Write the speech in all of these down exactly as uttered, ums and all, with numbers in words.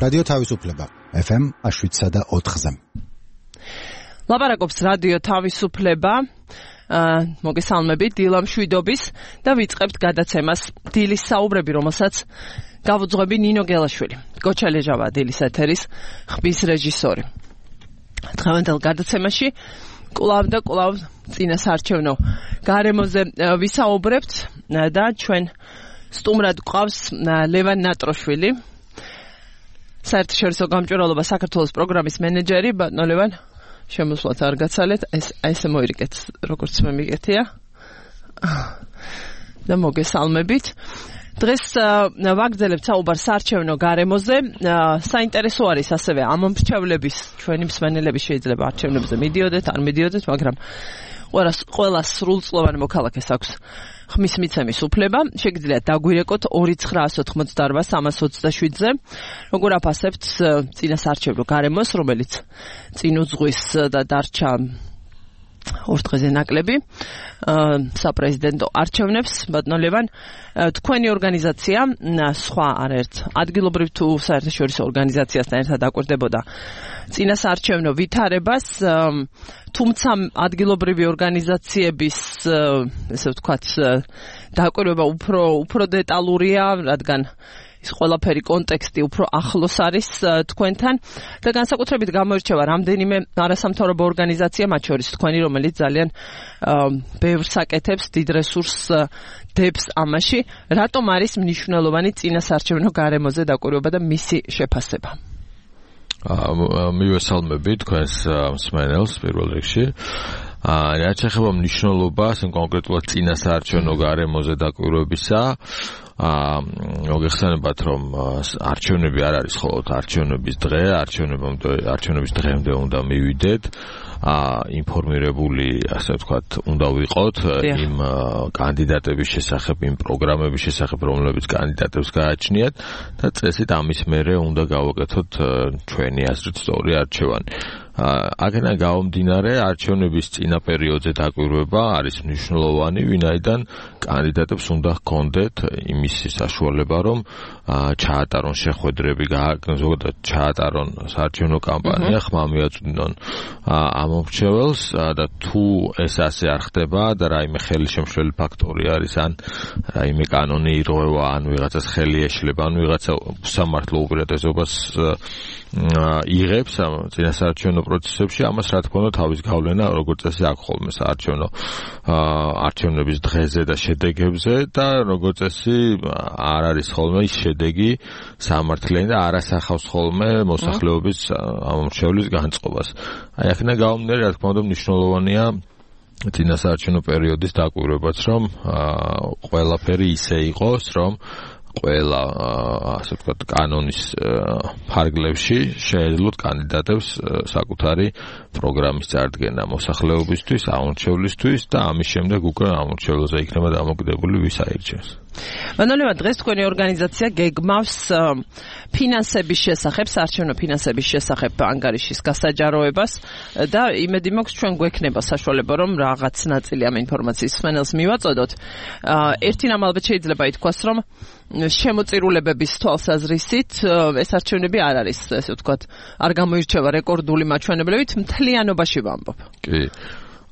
რადიო თავისუფლება ეფ ემ შვიდსა და ოთხზე. ლაპარაკობს რადიო თავისუფლება. მოგესალმებით დილა მშვიდობის და ვიწყებთ გადაცემას დილის საუბრები, რომელსაც გავუძღვები ნინო გელაშვილი. გოჩალეჟავა დილის ეთერის ხმის რეჟისორი. დღევანდელ გადაცემაში კვლავ და კვლავ წინასაარჩევნო გარემოზე ვისაუბრებთ და ჩვენ სტუმრად გვყავს ლევან ნატროშვილი, საერთაშორისო გამჭვირვალობა საქართველოს პროგრამის მენეჯერი. ბატონო ლევან, შემოსვლათ არ გაცალეთ, ეს ესე მოირეკეთ, როგორც მე მიგეთია და მოგესალმებით. დღეს ვაგრძელებთ საუბარს საარჩევნო გარემოზე. საინტერესო არის ასევე ამ მრჩევლების, ჩვენი მსმენელები შეიძლება არჩევნებზე მიდიოდეთ, არ მიდიოდეთ, მაგრამ ყველა სრულწლოვანი მოქალაქეს აქვს ხმის მიცემის უფლება. შეგიძლიათ დაგვირეკოთ ორი ცხრაას ოთხმოცდაორბა სამას ოცდაშვიდზე. როგორ აფასებთ წინასაარჩევნო გარემოს, რომელიც წინ უძღვის და დარჩა ორ დღეზე ნაკლები საპრეზიდენტო არჩევნებს. ბატონო ლევან, თქვენი ორგანიზაცია სხვა არაერთ ადგილობრივ თუ საერთაშორისო ორგანიზაციასთან ერთად აკვირდებოდა წინასაარჩევნო ვითარებას, თუმცა ადგილობრივი ორგანიზაციების, ესე ვთქვათ, დაკვირვება უფრო უფრო დეტალურია, რადგან ის ყველაფერი კონტექსტი უფრო ახლოს არის თქვენთან და განსაკუთრებით გამოირჩევა რამდენიმე არასამთავრობო ორგანიზაცია, მათ შორის თქვენი, რომელიც ძალიან ბევრს აკეთებს, დიდ რესურსს დებს ამაში. რატომ არის მნიშვნელოვანი წინასაარჩევნო გარემოზე დაკვირვება და მისი შეფასება? მივესალმები თქვენს მსმენელს პირველ რიგში. რაც ეხება მნიშვნელობას კონკრეტულად წინასაარჩევნო გარემოზე დაკვირვებისა, მოგეხსენებათ, რომ არჩევნები არ არის მხოლოდ არჩევნების დღე, არჩევნების დღემდე უნდა მივიდეთ, ინფორმირებული, ასე ვთქვათ, უნდა ვიყოთ იმ კანდიდატების შესახებ, იმ პროგრამების შესახებ, რომლებიც კანდიდატებს გააჩნიათ და წესით ამის მერე უნდა გავაკეთოთ ჩვენი აზრით სწორი არჩევანი. აქედან გამომდინარე, არჩევნების წინა პერიოდზე დაკვირვება არის მნიშვნელოვანი, ვინაიდან კანდიდატებს უნდა ჰქონდეთ იმის საშუალება, რომ ჩაატარონ შეხვედრები, ზოგადად ჩაატარონ საარჩევნო კამპანია, ხმა მიაწვდნონ ამ მომრჩეველს და თუ ეს ასე არ ხდება და რაიმე ხელშემშლელი ფაქტორი არის, ან რაიმე კანონი ირღვევა, ან ვიღაცას ხელი ეშლება, ან ვიღაცა სამართლო უპირატესობას იღებს ამ წინასაარჩევნო პროცესებში, ამას რა თქმა უნდა თავის გავლენა როგორც წესი აქვს ხოლმე საარჩევნო არჩევნების დღეზე და შედეგებზე და როგორც წესი არ არის ხოლმე ის შედეგი სამართლიანი და არ ასახავს ხოლმე მოსახლეობის ამომრჩევლის განწყობას. აი აქედან გამომდინარე, რა თქმა უნდა მნიშვნელოვანია წინასაარჩევნო პერიოდის დაკვირვებაც, რომ ყველაფერი ისე იყოს, რომ ყველა, ასე ვთქვათ, კანონის ფარგლებში შეეძლოთ კანდიდატებს საკუთარი პროგრამის წარდგენა მოსახლეობისთვის, ამომრჩევლისთვის და ამის შემდეგ უკვე ამომრჩევლზე იქნება დამოკიდებული ვის აირჩევს. ბატონო ლევან, დღეს თქვენი ორგანიზაცია გეგმავს ფინანსების შესახებ, საარჩევნო ფინანსების შესახებ ანგარიშის გასაჯაროებას და იმედი მაქვს ჩვენ გვექნება საშუალება, რომ რაღაც ნაწილი ამ ინფორმაციის მსმენელს მივაწოდოთ. ერთი რამ ალბათ შეიძლება ითქვას, რომ შემოწირულებების თვალსაზრისით ეს არჩევნები არ არის, ესე ვთქვათ, არ გამოირჩევა რეკორდული მაჩვენებლებით, მთლიანობაში ვამბობ. კი.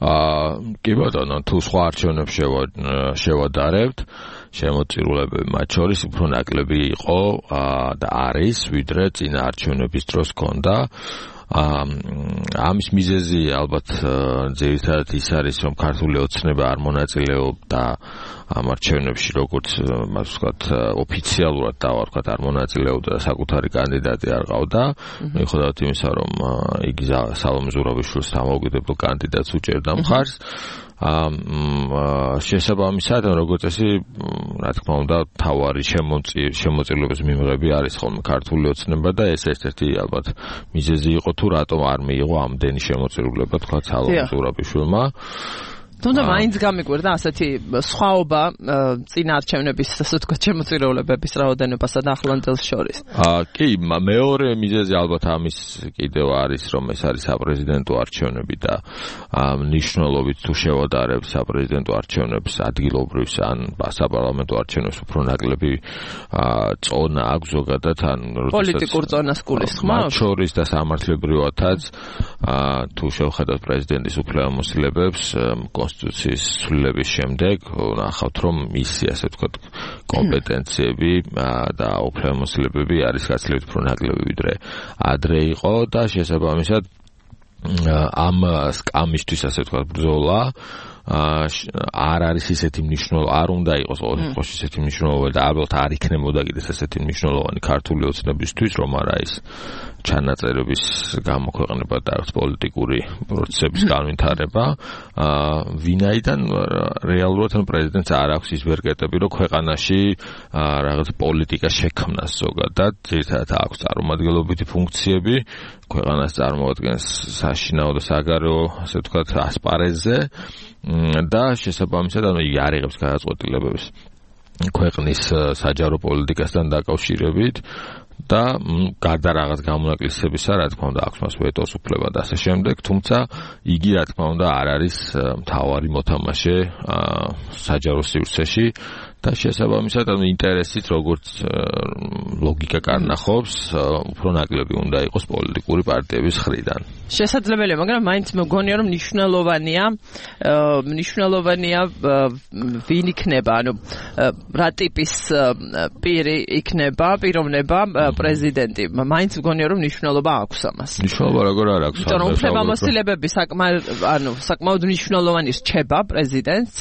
აა კი ბატონო, თუ სხვა არჩევნებს შევადარებთ, შემოწირულებები მათ შორის უფრო ნაკლები იყო და არის, ვიდრე წინა არჩევნების დროს ჰქონდა. ამის მიზეზი ალბათ ძირითადად ის არის, რომ ქართული ოცნება არ მონაწილეობდა ამ არჩევნებში, როგორც მას ვთქვათ, ოფიციალურად დავარქვათ, არ მონაწილეობდა, საკუთარი კანდიდატი არ ყავდა. მიუხედავად იმისა, რომ იგი სალომე ზურაბიშვილს დამოუკიდებელ კანდიდატს უჭერდა მხარს. შესაბამისად, როგორც წესი, რა თქმა უნდა, თავარი შემოწირულობის მიმღები არის ხოლმე ქართული ოცნება და ეს ერთ-ერთი ალბათ მიზეზი იყო, თუ რატომ არ მიიღო ამდენი შემოწირულობა, თქვა სალომე ზურაბიშვილმა. თუმცა მაინც გამიკვირდა ასეთი სხვაობა წინა არჩევნების, ასე ვთქვათ, შემოწირულობების რაოდენობასა და ახლანდელს შორის. აა კი, მეორე მიზეზი ალბათ ამის კიდევ არის, რომ ეს არის საპრეზიდენტო არჩევნები და მნიშვნელობით თუ შევადარებ საპრეზიდენტო არჩევნებს ადგილობრივს ან საპარლამენტო არჩევნებს უფრო ნაკლები წონა აქვს ზოგადად ან პოლიტიკურ წონას გულისხმობს? მათ შორის და სამართლებრივადაც თუ შევხედავთ პრეზიდენტის უფლებამოსილებებს კონსტიტუციის ცვლილების შემდეგ ნახავთ, რომ მისი, ასე ვთქვათ, კომპეტენციები და უფლებამოსილებები არის გაცილებით უფრო ნაკლები ვიდრე ადრე იყო და შესაბამისად ამ სკამისთვის, ასე ვთქვათ, ბრძოლა არ არის ისეთი მნიშვნელოვანი, არ უნდა იყოს ყოველ შემთხვევაში ისეთი მნიშვნელოვანი და ალბათ არ იქნებოდა კიდეც ესეთი მნიშვნელოვანი ქართული ოცნებისთვის, რომ არა ის ჩანაწერების გამოქვეყნება და პოლიტიკური პროცესების განვითარება, ვინაიდან რეალურად პრეზიდენტს არ აქვს ის ვერკეტები, რომ ქვეყანაში რაღაც პოლიტიკა შექმნას ზოგადად, ძირითადად აქვს წარმომადგენლობითი ფუნქციები, ქვეყანას წარმოადგენს საშინაო და საგარეო, ასე ვთქვათ, ასპარეზზე და შესაბამისად ანუ იგი არ იღებს გადაწყვეტილებებს ქვეყნის საჯარო პოლიტიკასთან დაკავშირებით და გარდა რაღაც გამონაკლისებისა, რა თქმა უნდა, აქვს მას ვეტოს უფლება და ასე შემდეგ, თუმცა იგი, რა თქმა უნდა, არ არის მთავარი მოთამაშე საჯარო სივრცეში და შესაბამისად, ანუ ინტერესით, როგორც ლოგიკა კარნახობს, უფრო ნაკლები უნდა იყოს პოლიტიკური პარტიების მხრიდან. შესაძლებელია, მაგრამ მაინც მგონია, რომ მნიშვნელოვანია, მნიშვნელოვანია ვინ იქნება, ანუ რა ტიპის პირი იქნება, პიროვნება პრეზიდენტი. მაინც მგონია, რომ მნიშვნელობა აქვს ამას. მნიშვნელობა როგორ არ აქვს? იმიტომ რომ უფლებამოსილების საკმაოდ, ანუ საკმაოდ მნიშვნელოვანი რჩება პრეზიდენტს.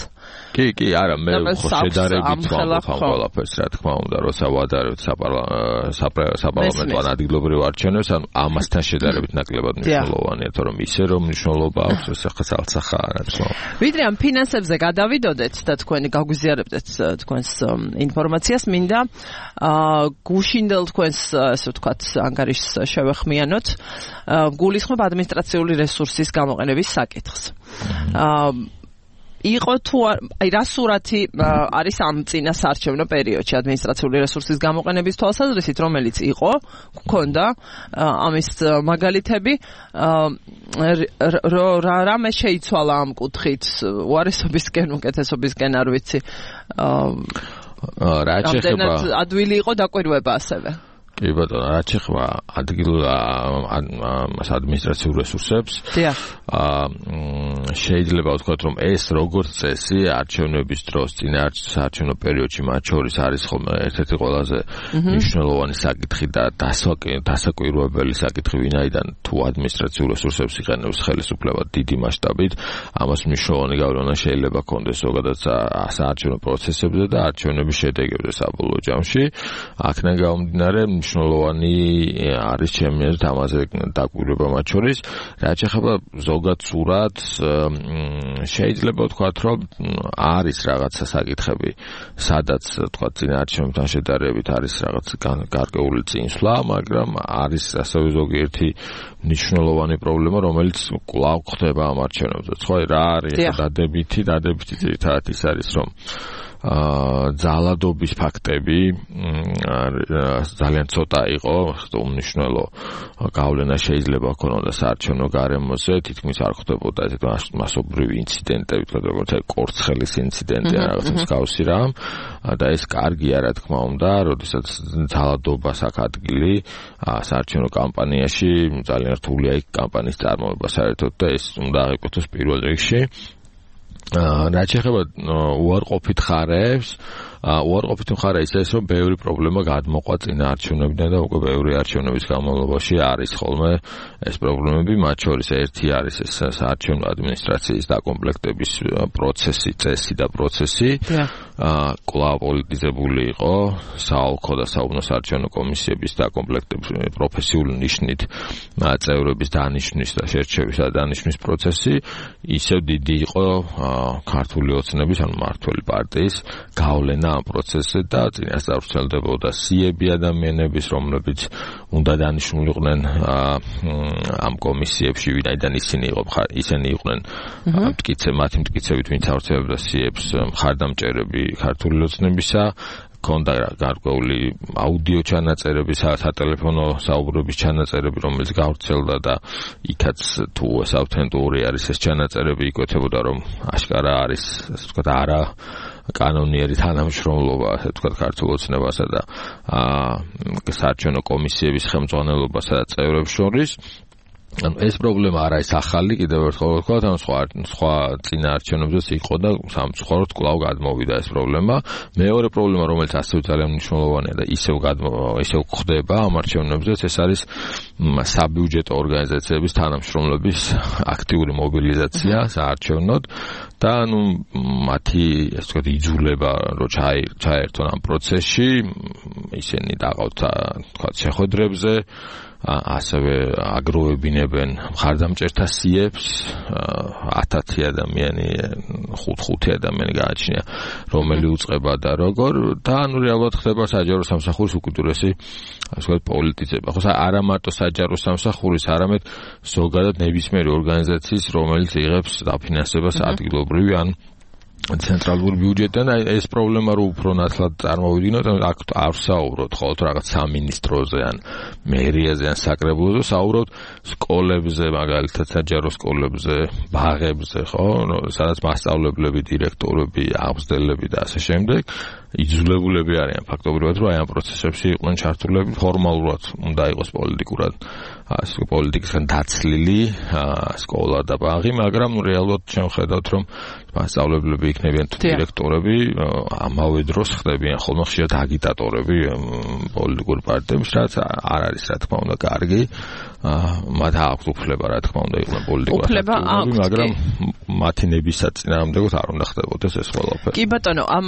კი, კი, არა, მე ხო შედარებით ვამბობ ამ ყველაფერს, რა თქმა უნდა, როცა ვადარებთ საპარლამენტო ან ადგილობრივ არჩევნებს, ანუ ამასთან შედარებით ნაკლებად მნიშვნელოვანია, თორემ ისე რომ მნიშვნელობა აქვს, ეს ახლა ცალცახა რა თქმა უნდა. ვიდრე ამ ფინანსებზე გადავიდოდეთ და თქვენი გაგვიზიარებდეთ თქვენს ინფორმაციას, მინდა გუშინდელ თქვენს, ასე ვთქვათ, ანგარიშს შევეხმიანოთ, გულისხმობ ადმინისტრაციული რესურსის გამოყენების საკითხს. იყო თუ აი რა სურათი არის ამ წინა საარჩევნო პერიოდში ადმინისტრაციული რესურსის გამოყენების თვალსაზრისით, რომელიც იყო, გქონდა ამის მაგალითები, რამე შეიცვალა ამ კუთხით, უარესობისკენ, უკეთესობისკენ, არ ვიცი. რა შეიძლება ადვილი იყო დაკვირვება ასევე. კი ბატონო, რაც შეეხება ადგილ ადმინისტრაციულ რესურსებს, აა შეიძლება ვთქვათ, რომ ეს როგორც წესი არჩევნების დროს, წინა საარჩევნო პერიოდში მათ შორის არის ხოლმე ერთ-ერთი ყველაზე მნიშვნელოვანი საკითხი და დასაკვირვებელი საკითხი, ვინაიდან თუ ადმინისტრაციულ რესურსებს იყენებს ხელისუფლება დიდი მასშტაბით, ამას მნიშვნელოვანი გავლენა შეიძლება ჰქონდეს ზოგადად საარჩევნო პროცესებზე და არჩევნების შედეგებზე საბოლოო ჯამში. აქედან გამომდინარე, მნიშვნელოვანი არის ჩემი აზრით ამაზე დაკვირვება მათ შორის. რაც შეეხება ზოგად სურათს, შეიძლება ვთქვათ, რომ არის რაღაცა საკითხები, სადაც ვთქვათ წინა არჩევნებთან შედარებით არის რაღაც გარკვეული წინსვლა, მაგრამ არის ასევე ზოგიერთი მნიშვნელოვანი პრობლემა, რომელიც კვლავ ხდება ამ არჩევნებზე. ხო, რა არის დადებითი, დადებითი ძირითადად ის არის, რომ ძალადობის ფაქტები ძალიან ცოტა იყო, უმნიშვნელო გავლენა შეიძლება ჰქონოდა საარჩევნო გარემოზე, თითქმის არ ხდებოდა ესეთ მასობრივი ინციდენტები, როგორც აი კორცხელის ინციდენტი ან რაღაც მსგავსი რამ და ეს კარგია, რა თქმა უნდა, როდესაც ძალადობას აქ ადგილი საარჩევნო კამპანიაში ძალიან რთულია იქ კამპანიის წარმოება საერთოდ და ეს უნდა აღიკვეთოს პირველ რიგში. რაც შეეხება უარყოფით ხარებს, უარყოფით მხარე ის ეს, რომ ბევრი პრობლემა გადმოყვა წინა არჩევნებიდან და უკვე ბევრი არჩევნების განმავლობაში არის ხოლმე ეს პრობლემები, მათ შორის ერთი არის ეს საარჩევნო ადმინისტრაციის დაკომპლექტების პროცესი, წესი და პროცესი. კვლავ პოლიტიზებული იყო საოლქო და საუბნო საარჩევნო კომისიების დაკომპლექტების პროფესიული ნიშნით წევრების დანიშვნის და შერჩევის და დანიშვნის პროცესი, ისევ დიდი იყო ქართული ოცნების, ანუ მმართველი პარტიის გავლენა ამ პროცესზე და წინასწარ ვრცელდებოდა სიები ადამიანების, რომლებიც უნდა დანიშნულიყვნენ ამ კომისიებში, ვინაიდან ისინი იყო ისინი იყვნენ მტკიცე მათი მტკიცებით ვინც ავრცელებდა სიებს მხარდამჭერები ქართული ოცნებისა, ქონდა გარკვეული აუდიო ჩანაწერები, სატელეფონო საუბრების ჩანაწერები, რომელიც გავრცელდა და იქაც თუ ეს ავთენტური არის ეს ჩანაწერები, იკვეთებოდა რომ აშკარა არის, ასე ვთქვათ, არა კანონიერი თანამშრომლობა, ასე ვთქვათ, ქართულ ოცნებასა და საარჩევნო კომისიების ხელმძღვანელობასა და წევრებს შორის. ეს პრობლემა არ არის ახალი, კიდევ ერთხელ ვთქვათ, ან სხვა სხვა წინაარჩევნებზეც იყო და სამწუხაროდ კვლავ გადმოვიდა ეს პრობლემა. მეორე პრობლემა, რომელიც ასევე ძალიან მნიშვნელოვანია და ისევ ისევ ხდება ამ არჩევნებზეც, ეს არის საბიუჯეტო ორგანიზაციების თანამშრომლების აქტიური მობილიზაცია საარჩევნოდ და ანუ მათი ასე ვთქვათ იძულება რომ ჩაერთონ ამ პროცესში, ისინი დაღავთ თქვათ შეხვედრებზე, ასევე აგროვებინებენ მხარდამჭერთა სიებს, ათათი ადამიანი, ხუთ-ხუთი ადამიანი გააჩნია, რომელი უწყება და როგორ და ანუ რეალურად ხდება საჯარო სამსახურის უკიდურესი ასე ვთქვათ პოლიტიზება. ხო, არა მარტო საჯარო სამსახურის, არამედ ზოგადად ნებისმიერი ორგანიზაციის, რომელიც იღებს დაფინანსებას ადგილობრივი ან ცენტრალური ბიუჯეტიდან, ეს პრობლემა რო უფრო ნათლად წარმოვიდგინოთ, აქ არ საუბრობთ ხოლმე რაღაც სამინისტროზე ან მერიაზე ან საკრებულოზე, საუბრობთ სკოლებზე, მაგალითად საჯარო სკოლებზე, ბაღებზე, ხო, სადაც მასწავლებლები, დირექტორები, აღმზრდელები და ასე შემდეგ იძულებულები არიან ფაქტობრივად, რომ აი ამ პროცესებში იყვნენ ჩართულები, ფორმალურად უნდა იყოს პოლიტიკურად ასე პოლიტიკისგან დაცლილი სკოლა და ბაღი, მაგრამ რეალურად შევხედავთ, რომ მასწავლებლები იქნებიან თუ დირექტორები, ამავე დროს ხდებიან ხოლმე ხშირად აგიტატორები პოლიტიკურ პარტიებში, რაც არ არის რა თქმა უნდა კარგი. მათ აქვს უფლება რა თქმა უნდა იყვნენ პოლიტიკურად აქტიურები, მაგრამ მათი ნების საწინააღმდეგოდ არ უნდა ხდებოდეს ეს ყველაფერი. კი ბატონო, ამ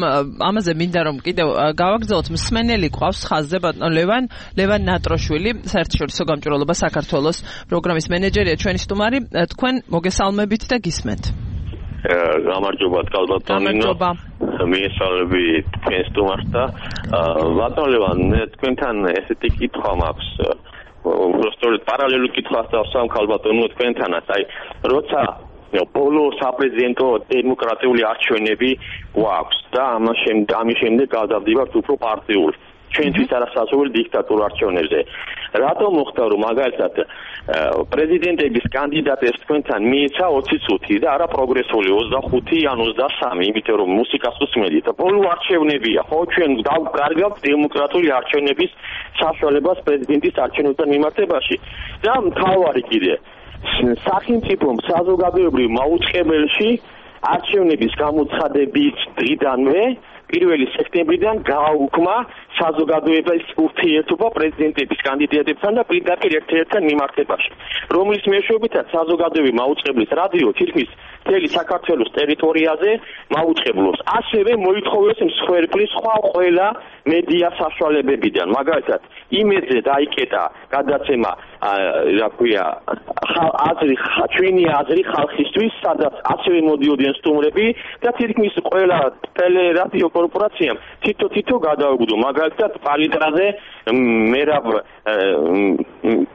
ამაზე მინდა რომ კიდევ გავაგრძელოთ, მსმენელი ყავს ხაზზე ბატონო ლევან ლევან ნატროშვილი, საერთაშორისო გამჭვირვალობა საქართველოს პროგრამის მენეჯერია, ჩვენი სტუმარი, თქვენ მოგესალმებით და გისმენთ. გამარჯობა კალბატონინო, მიესალმები თქვენ სტუმარს და ბატონო ლევან, თქვენთან ესეთი კითხვა მაქვს. უბრალოდ პარალელურ კითხვას დავსვამ ქალბატონო თქვენთანაც, აი როცა ბოლო საპრეზიდენტო დემოკრატიული არჩევნები გვაქვს და ამის შემდეგ გადავდივართ უფრო პარტიულ ჩვენთვის არასასურველი დიქტატურ არჩევნებზე. რატომ მოხდა რომ მაგალითად პრეზიდენტების კანდიდატებს თქვენთან მიეცა ოცი წუთი და არა პროგრესული ოცდახუთი ან ოცდასამი, იმიტომ რომ მუსიკას უსმენთ. ბოლო არჩევნებია, ხო, ჩვენ გავკარგავთ დემოკრატიული არჩევნების საშუალებას პრეზიდენტის არჩევნებთან მიმართებაში. და მთავარი კიდე სახელმწიფომ საზოგადოებრივ მაუწყებელში არჩევნების გამოცხადების დღიდანვე პირველი სექტემბრიდან გააუქმა საზოგადოების ურთიერთობა პრეზიდენტების კანდიდატებთან და პირდაპირ ერთ-ერთთან მიმართებაში, რომლის მეშვეობითაც საზოგადოების მაუწყებლის რადიო თითქმის მთელი საქართველოს ტერიტორიაზე მაუწყებლობს. ასევე მოითხოვეს მსხვერპლის სხვა ყველა მედია საშუალებებიდან, მაგალითად იმედზე დაიკეტა გადაცემა, რა ქვია, აზრი, ჩვენი აზრი ხალხისთვის, სადაც ასევე მოდიოდნენ სტუმრები და თითქმის ყველა ტელერადიო კორპორაციამ თითო-თითო გადაუგდო, მაგალითად პალიტრაზე მერაბ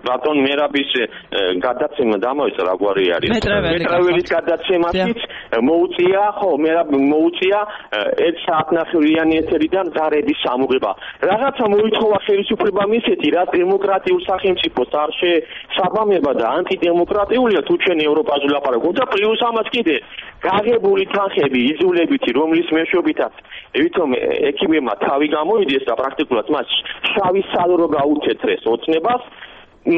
ბატონ მერაბის გადაცემა დამოიწყო, რა გვარი არის მეტრაველის გადაცემაშიც მოუწია, ხო, მერაბ მოუწია ერთ საათნახევრიანი ეთერიდან ზარების სამუღება. რაღაცა მოითხოვა ხელისუფლებამ ისეთი, რაც დემოკრატიულ სახელმწიფოს არ შესაბამება და ანტიდემოკრატიულია, თუ ჩვენ ევროპაზე ვლაპარაკობთ და პლუს ამას კიდე გაღებული თანხები იძულებითი, რომლის მეშვეობითაც ვითომ ექიმებმა თავი გამოიდეს და პრაქტიკულად მას შავი სალრო გაუცეცრეს ოცნებას,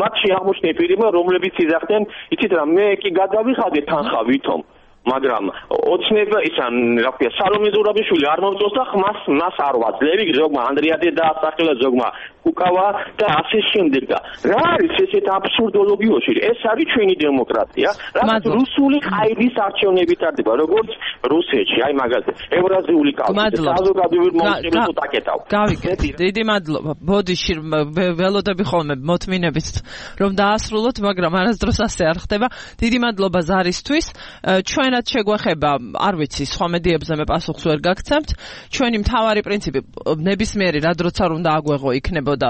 მათში აღმოჩნდა პირებმა, რომლებიც იძახდნენ, იცით რა, მე კი გადავიხადე თანხა ვითომ მაგრამ ოცნება ისა რა ქვია სალომე ზურაბიშვილი არ მომწონს და ხმას მას არ ვაძლევი ზოგმა ანდრიადე დაასახელა ზოგმა უკავა და ასე შემდეგ და რა არის ესეთ აბსურდოლოგიაში ეს არის ჩვენი დემოკრატია რაც რუსული ყაიდის არჩევნები ტარდება როგორც რუსეთში აი მაგაზე ევრაზიული კავშირი საზოგადოებრივ მომხრეებს უტაკეთავ გავიგეთ დიდი მადლობა ბოდიში ველოდები ხოლმე მოთმინებით რომ დაასრულოთ მაგრამ არასდროს ასე არ ხდება დიდი მადლობა ზარისთვის ჩვენად შეგვეხება არ ვიცი სხვა მედიებზე მე პასუხს ვერ გაგცემთ ჩვენი მთავარი პრინციპი ნებისმიერი რა დროც არ უნდა აგვეღო იქნებოდა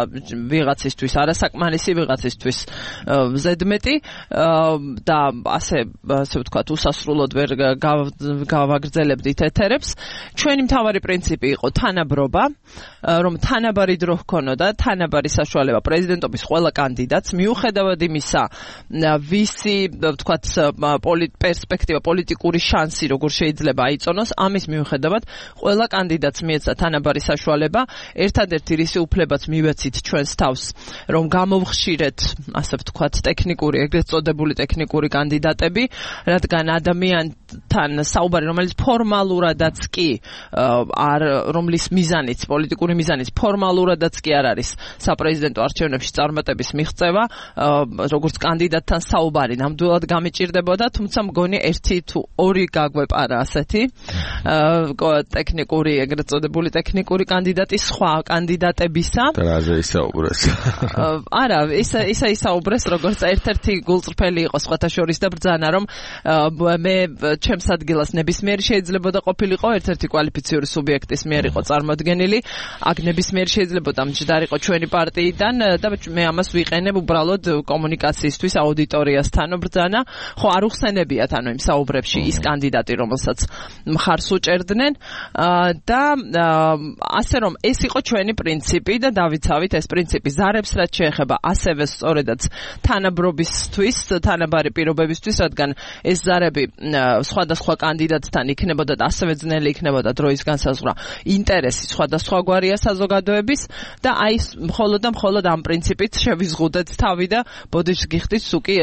ვიღაცისთვის არასაკმარისი ვიღაცისთვის ზედმეტი და ასე ასე ვთქვათ უსასრულოდ ვერ გავაგრძელებდით ეთერებს ჩვენი მთავარი პრინციპი იყო თანაბრობა რომ თანაბარი დრო ჰქონოდა თანაბარი საშუალება პრეზიდენტობის ყველა კანდიდატს მიუხედავად იმისა ვისი ვთქვათ პერსპექტივა პოლიტიკური შანსი როგორ შეიძლება აიწონოს ამის მიუხედავად ყველა კანდიდატს მიეცა თანაბარი საშუალება ერთადერთი რისი უფლებაც მივეცით ჩვენს თავს რომ გამოვხშირეთ ასე ვთქვათ ტექნიკური ეგრეთ წოდებული ტექნიკური კანდიდატები რადგან ადამიანთან საუბარი რომელიც ფორმალურადაც კი არ რომლის მიზანიც პოლიტიკური მიზანიც ფორმალურადაც კი არ არის საპრეზიდენტო არჩევნებში წარმატების მიღწევა როგორც კანდიდატთან საუბარი ნამდვილად გამიჭირდებოდა თუმცა მგონი ერთი თუ ორი გაგვეპარა ასეთი ტექნიკური ეგრეთ წოდებული ტექნიკური კანდიდატი სხვა კანდიდატებისა და რაზე ისაუბრეს არა ისა ისა ისაუბრეს როგორც ერთ-ერთი გულწრფელი იყო სხვათა შორის და ბრძანა რომ მე ჩემს ადგილას ნებისმიერი შეიძლებოდა ყოფილიყო ერთ-ერთი კვალიფიციური სუბიექტის მიერ იყო წარმოდგენილი აქ ნებისმიერი შეიძლებოდა მჯდარიყო ჩვენი პარტიიდან და მე ამას ვიყენებ უბრალოდ კომუნიკაციისთვის აუდიტორიასთან ბრძანა ხო არ უხსენებიათ ანუ იმ საუბრებში ის კანდიდატი რომელსაც მხარს უჭერდნენ და ასე რომ ეს იყო ჩვენი პრინციპი და დავიცავით ეს პრინციპი ზარებს რაც შეეხება ასევე სწორედაც თანაბრობისთვის თანაბარი პირობებისთვის რადგან ეს ზარები სხვადასხვა კანდიდატთან იქნებოდა და ასევე ძნელი იქნებოდა დროის განსაზღვრა ინტერესი სხვადასხვაგვარია საზოგადოების და აი მხოლოდ და მხოლოდ ამ პრინციპით შევიზღუდეთ თავი და ბოდიშს გიხდით სუკი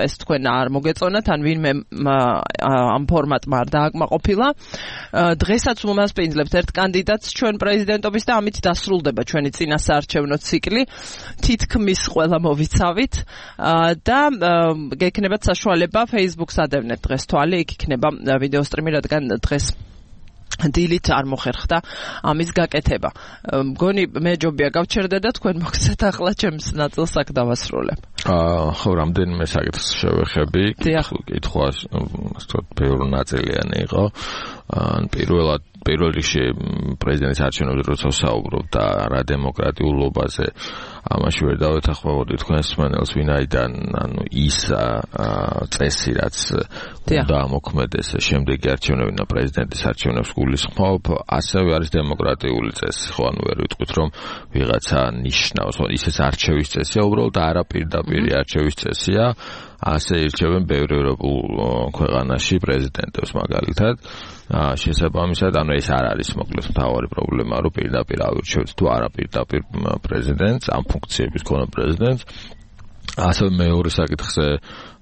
ეს თქვენ არ მოგეწონათ ან ვინმე ამ ფორმატმა არ დააკმაყოფილა დღესაც უმასპინძლებთ ერთ კანდიდატს ჩვენ პრეზიდენტობის და ამით დასრულდება ჩვენი წინა საარჩევნო ციკლი თითქმის ყველა მოვიცავით და გექნებათ საშუალება Facebook-ს ადევნეთ დღეს თვალი იქ იქნება ვიდეო სტრიმი რადგან დღეს დილით არ მოხერხდა ამის გაკეთება. მგონი მე ჯობია გავჩერდე და თქვენ მოგცეთ ახლა ჩემს ნაწილს აქ დავასრულებ. აა ხო რამდენიმე საკითხს შევეხები. კითხვა ვთქვათ ბევრი ნაწილიანი იყო. ან პირველად პირველ რიგში პრეზიდენტის არჩევნებზე როცა ვსაუბრობ და რა დემოკრატიულობაზე ამაში ვერ დავეთანხმებოდი თქვენს მსმენელს ვინაიდან ანუ ის წესი რაც უნდა მოქმედეს შემდეგი არჩევნები და პრეზიდენტის არჩევნებს გულისხმობ ასევე არის დემოკრატიული წესი ხო ანუ ვერ ვიტყვით რომ ვიღაცა ნიშნავს ხო ისეს არჩევის წესია უბრალოდ არაპირდაპირი არჩევის წესია ასე ირჩევენ ბევრ ევროპულ ქვეყანაში პრეზიდენტებს მაგალითად შესაბამისად ანუ ეს არ არის მოკლედ მთავარი პრობლემა რომ პირდაპირ ავირჩევთ თუ არაპირდაპირ პრეზიდენტს ამ ფუნქციების ქონა პრეზიდენტს ასევე მეორე საკითხზე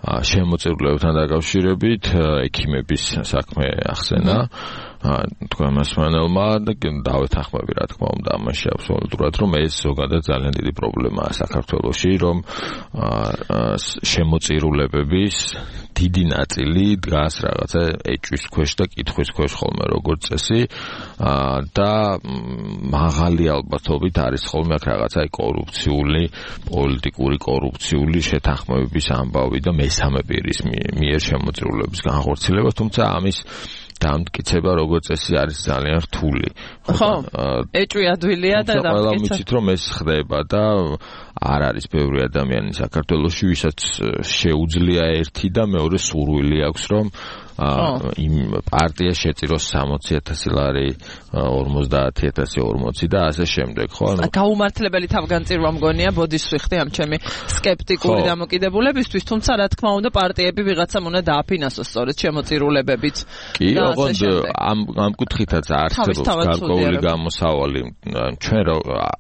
შემოწირულობებთან დაკავშირებით ექიმების საქმე ახსენა თქვენ მასმანელმა და დავეთანხმები რა თქმა უნდა ამაში აბსოლუტურად რომ ეს ზოგადად ძალიან დიდი პრობლემაა საქართველოში რომ შემოწირულობების დიდი ნაწილი დგას რაღაცა ეჭვის ქვეშ და კითხვის ქვეშ ხოლმე როგორც წესი და მაღალი ალბათობით არის ხოლმე აქ რაღაცა კორუფციული პოლიტიკური კორუფციული შეთანხმებების ამბავი და მესამე პირის მიერ შემოწირულობის განხორციელება თუმცა ამის დამტკიცება როგორც წესი არის ძალიან რთული. ხო, ეჭვი ადვილია და დამტკიცება. ყველა მიცით რომ ეს ხდება და არ არის ბევრი ადამიანი საქართველოში ვისაც შეუძლია ერთი და მეორე სურვილი აქვს რომ იმ პარტია შეწიროს სამოცი ათასი ლარი ორმოცდაათი ათასი ორმოცი და ასე შემდეგ ხო ანუ გაუმართლებელი თავგანწირვა მგონია ბოდიშს ვიხდი ამ ჩემი სკეპტიკური დამოკიდებულებისთვის თუმცა რა თქმა უნდა პარტიები ვიღაცამ უნდა დააფინანსოს სწორედ შემოწირულებებით კი ოღონდ ამ ამ კუთხითაც არსებობს გარკვეული გამოსავალი ჩვენ რო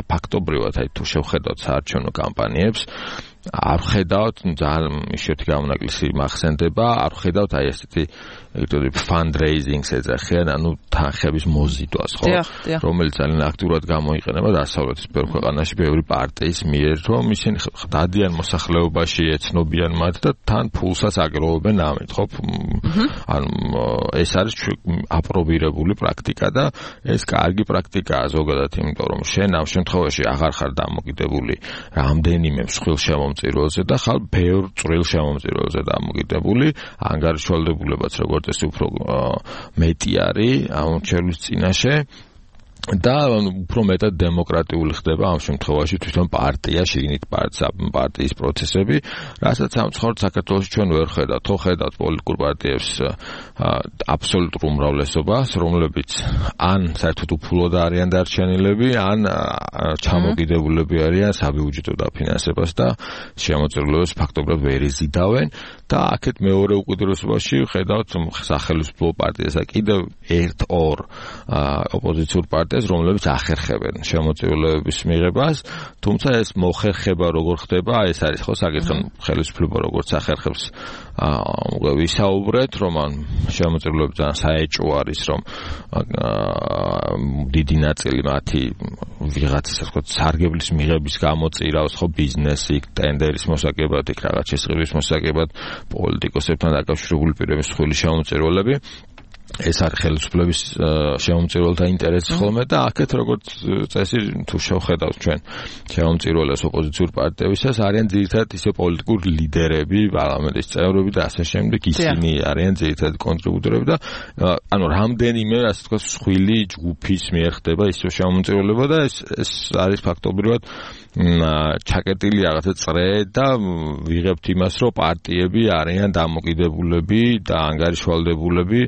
ფაქტობრივად აი თუ შევხედოთ საარჩევნო კამპანიებს არ ხედავთ ძალიან ისეთი გამონაკლისი მახსენდება არ ხედავთ აი ესეთი ეგრევე fundraising-ს ეძახიან, ანუ თანხების მოზიდვას, ხო? რომელიც ძალიან აქტიურად გამოიყენება დასავლეთის ბევრ ქვეყანაში, ბევრი პარტიის მიერ, რომ ისინი დადიან მოსახლეობაში, ეცნობიან მათ და თან ფულსაც აგროვებენ ამით, ხო? ანუ ეს არის აპრობირებული პრაქტიკა და ეს კარგი პრაქტიკაა ზოგადად, იმიტომ რომ შენ ამ შემთხვევაში აღარ ხარ დამოკიდებული რამდენიმე მსხვილ შემომწირველზე და ხარ ბევრ წვრილ შემომწირველზე დამოკიდებული, ანგარიშვალდებულებაც როგორც ეს უფრო მეტი არის ამ მრჩევლის წინაშე და უფრო მეტად დემოკრატიული ხდება ამ შემთხვევაში თვითონ პარტია, შიგნით პარტიის პროცესები, რასაც სამწუხაროდ საქართველოში ჩვენ ვერ ხედავთ, ხო ხედავთ პოლიტიკურ პარტიებს აბსოლუტურ უმრავლესობას, რომლებიც ან საერთოდ უფულოდ არიან დარჩენილები, ან ჩამოკიდებულები არიან საბიუჯეტო დაფინანსებას და შემოწირულობებს ფაქტობრივად ვერ იზიდავენ და აქეთ მეორე უკიდურესობაში ხედავთ სახელმწიფო პარტიას და კიდევ ერთ-ორ ოპოზიციურ პარტიას, რომლებიც ახერხებენ შემოწირულობების მიღებას, თუმცა ეს მოხერხება როგორ ხდება, ეს არის ხო საკითხი, ხელისუფლება როგორც ახერხებს ვისაუბრეთ, რომ ან შემოწირულობები ძალიან საეჭვო არის, რომ დიდი ნაწილი მათი ვიღაცის ასე ვთქვათ სარგებლის მიღების გამოწირავს ხო ბიზნესი, ტენდერის მოსაკებად, იქ რაღაც შესყიდვის მოსაკებად, პოლიტიკოსებთან დაკავშირებული პირების სხვილი შემოწირულობები. ეს არის ხელისუფლების შემომწირულთა ინტერესი ხოლმე და აქეთ როგორც წესი თუ შევხედავთ ჩვენ შემომწირულებს ოპოზიციურ პარტიებისას არიან ძირითადად ისე პოლიტიკური ლიდერები, პარლამენტის წევრები და ასე შემდეგ, ისინი არიან ძირითადად კონტრიბუტორები და ანუ რამდენიმე ასე ვთქვათ სხვილი ჯგუფის მიერ ხდება ისე შემომწირულება და ეს ეს არის ფაქტობრივად ჩაკეტილი რაღაცა წრე და ვიღებთ იმას, რომ პარტიები არიან დამოკიდებულები და ანგარიშვალდებულები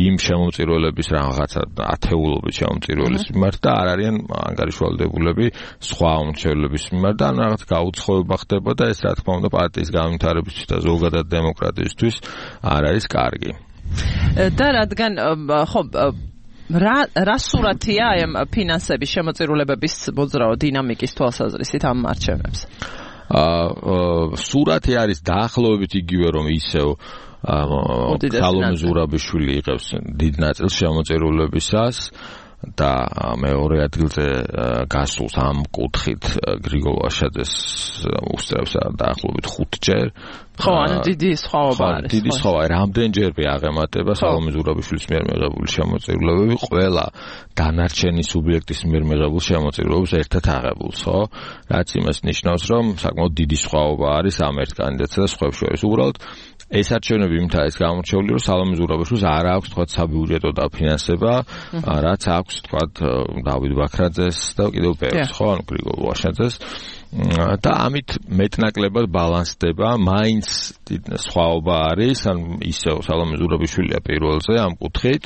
იმ შემომწირულების რაღაცა ათეულობით შემომწირულების მიმართ და არ არიან ანგარიშვალდებულები სხვა უმრჩევლების მიმართ და რაღაც გაუცხოება ხდება და ეს რა თქმა უნდა პარტიის განვითარებისთვის და ზოგადად დემოკრატიისთვის არ არის კარგი. და რადგან ხო რა რა სურათია აი ამ ფინანსების შემოწირულებების მოძრაო დინამიკის თვალსაზრისით ამ არჩევნებს? აა სურათი არის დაახლოებით იგივე რომ ისევ ქალომე ზურაბიშვილი იღებს დიდ ნაწილს შემოწირულებისას და მეორე ადგილზე გასულს ამ კუთხით გრიგოლ ვაშაძეს უსწრებს დაახლოებით ხუთჯერ. ხო, ანუ დიდი სხვაობა არის. დიდი სხვაობა, რამდენჯერმე აღემატება სალომე ზურაბიშვილის მიერ მიღებული შემოწირულობები ყველა დანარჩენი სუბიექტის მიერ მიღებულ შემოწირულობებს ერთად აღებულს, ხო? რაც იმას ნიშნავს, რომ საკმაოდ დიდი სხვაობა არის ამ ერთ კანდიდატსა და სხვებს შორის. უბრალოდ ეს არჩევნები იმით არის გამორჩეული, რომ სალომე ზურაბიშვილს არ აქვს თქვა საბიუჯეტო დაფინანსება, რაც აქვს თქვა დავით ბაქრაძეს და კიდევ ბევრს, ხო, ანუ გრიგოლ ვაშაძეს. და ამით მეტნაკლებად ბალანსდება, მაინც სხვაობა არის, ან ისევ სალომე ზურაბიშვილია პირველზე ამ კუთხით,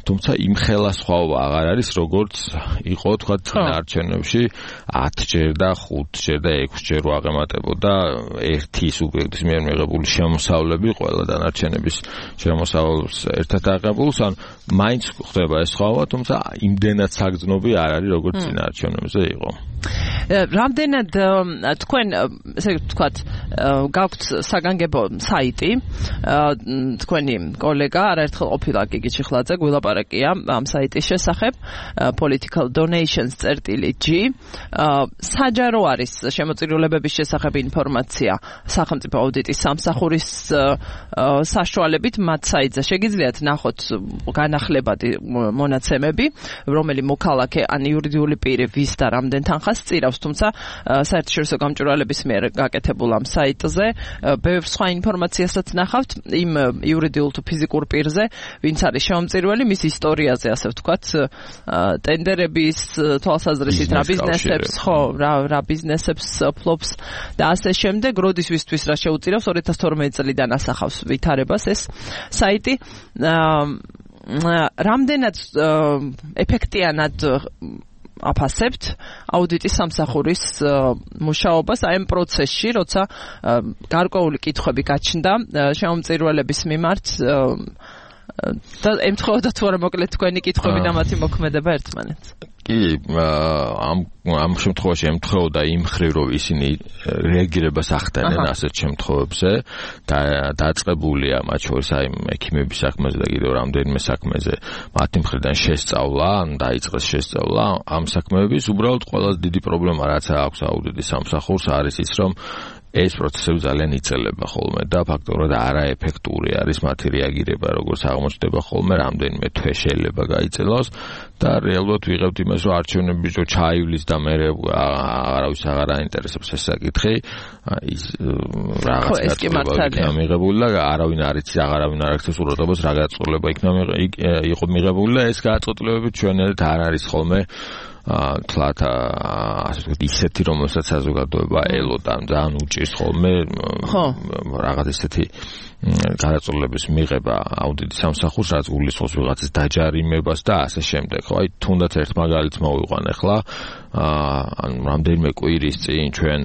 თუმცა იმხელა სხვაობა აღარ არის, როგორც იყო თქვა არჩევნებში ათჯერ და ხუთჯერ და ექვსჯერ აღემატებოდა ერთი სუბიექტის მიერ მიღებული შემოსავლები ყველა დანარჩენების შემოსავლებს ერთად აღებულს, ან მაინც ხდება ეს სხვაობა, თუმცა იმდენად საგრძნობი არ არის, როგორც წინა არჩევნებზე იყო. რამდენად თქვენ ესე ვთქვათ გაქვთ საგანგებო საიტი, თქვენი კოლეგა არაერთხელ ყოფილა გიგი ჩიხლაძე გვილაპარაკია ამ საიტის შესახებ political donations წერტილი ჯი, საჯარო არის შემოწირულებების შესახებ ინფორმაცია სახელმწიფო აუდიტის სამსახურის საშუალებით მათ საიტზე შეგიძლიათ ნახოთ განახლებადი მონაცემები, რომელი მოქალაქე ან იურიდიული პირი ვის და რამდენ თანხას წირავს, თუმცა საერთაშორისო გამჭვირვალების მიერ გაკეთებულ ამ საიტზე ბევრ სხვა ინფორმაციასაც ნახავთ იმ იურიდიულ თუ ფიზიკურ პირზე, ვინც არის შემომწირველი, მის ისტორიაზე, ასე ვთქვათ, ტენდერების თვალსაზრისით რა ბიზნესებს, ხო, რა რა ბიზნესებს ფლობს და ასე შემდეგ, როდის ვისთვის რა შეუწირავს, ორი ათას თორმეტი წლიდან ასახავს ვითარებას ეს საიტი. რამდენად ეფექტიანად აფასებთ აუდიტის სამსახურის მუშაობას აი ამ პროცესში, როცა გარკვეული კითხვები გაჩნდა შემომწირულების მიმართ და ემთხოვდა თუ არა მოკლედ თქვენი კითხვები და მათი მოქმედება ერთმანეთს. კი, ამ ამ შემთხვევაში ემთხოვდა იმ ხრივ, რომ ისინი რეაგირებას ახდენენ ასეთ შემთხვევებზე და დაწყებულია მათ შორის აი ექიმების საქმეზე და კიდევ რამდენიმე საქმეზე მათი მხრიდან შესწავლა, ან დაიწყეს შესწავლა ამ საქმეების. უბრალოდ ყველაზე დიდი პრობლემა რაც აქვს აუდიტის სამსახურს არის ის, რომ ეს პროცესები ძალიან იწელება ხოლმე და ფაქტობრივად არაეფექტური არის მათი რეაგირება, როგორც აღმოჩნდება ხოლმე, რამდენიმე თვე შეიძლება გაიწელოს და რეალურად ვიღებთ იმას, რომ არჩევნები რო ჩაივლის და მე არავის აღარ აინტერესებს ეს საკითხი, ის რაღაც იქნება მიღებული და არავინ არ იცის, აღარავინ არ აქვს უბრალოდ რა გაწყვეტილება იქნება იყო მიღებული და ეს გაწყვეტილებები ჩვენერთ არ არის ხოლმე თლათ ასე ვთქვათ ისეთი რომელსაც საზოგადოება ელოდა ძალიან უჭირს ხოლმე რაღაც ისეთი გადაწყვეტილების მიღება აუდიტის სამსახურს რაც გულისხმობს ვიღაცის დაჯარიმებას და ასე შემდეგ. ხო, აი თუნდაც ერთ მაგალითს მოვიყვან ახლა ან რამდენიმე კვირის წინ ჩვენ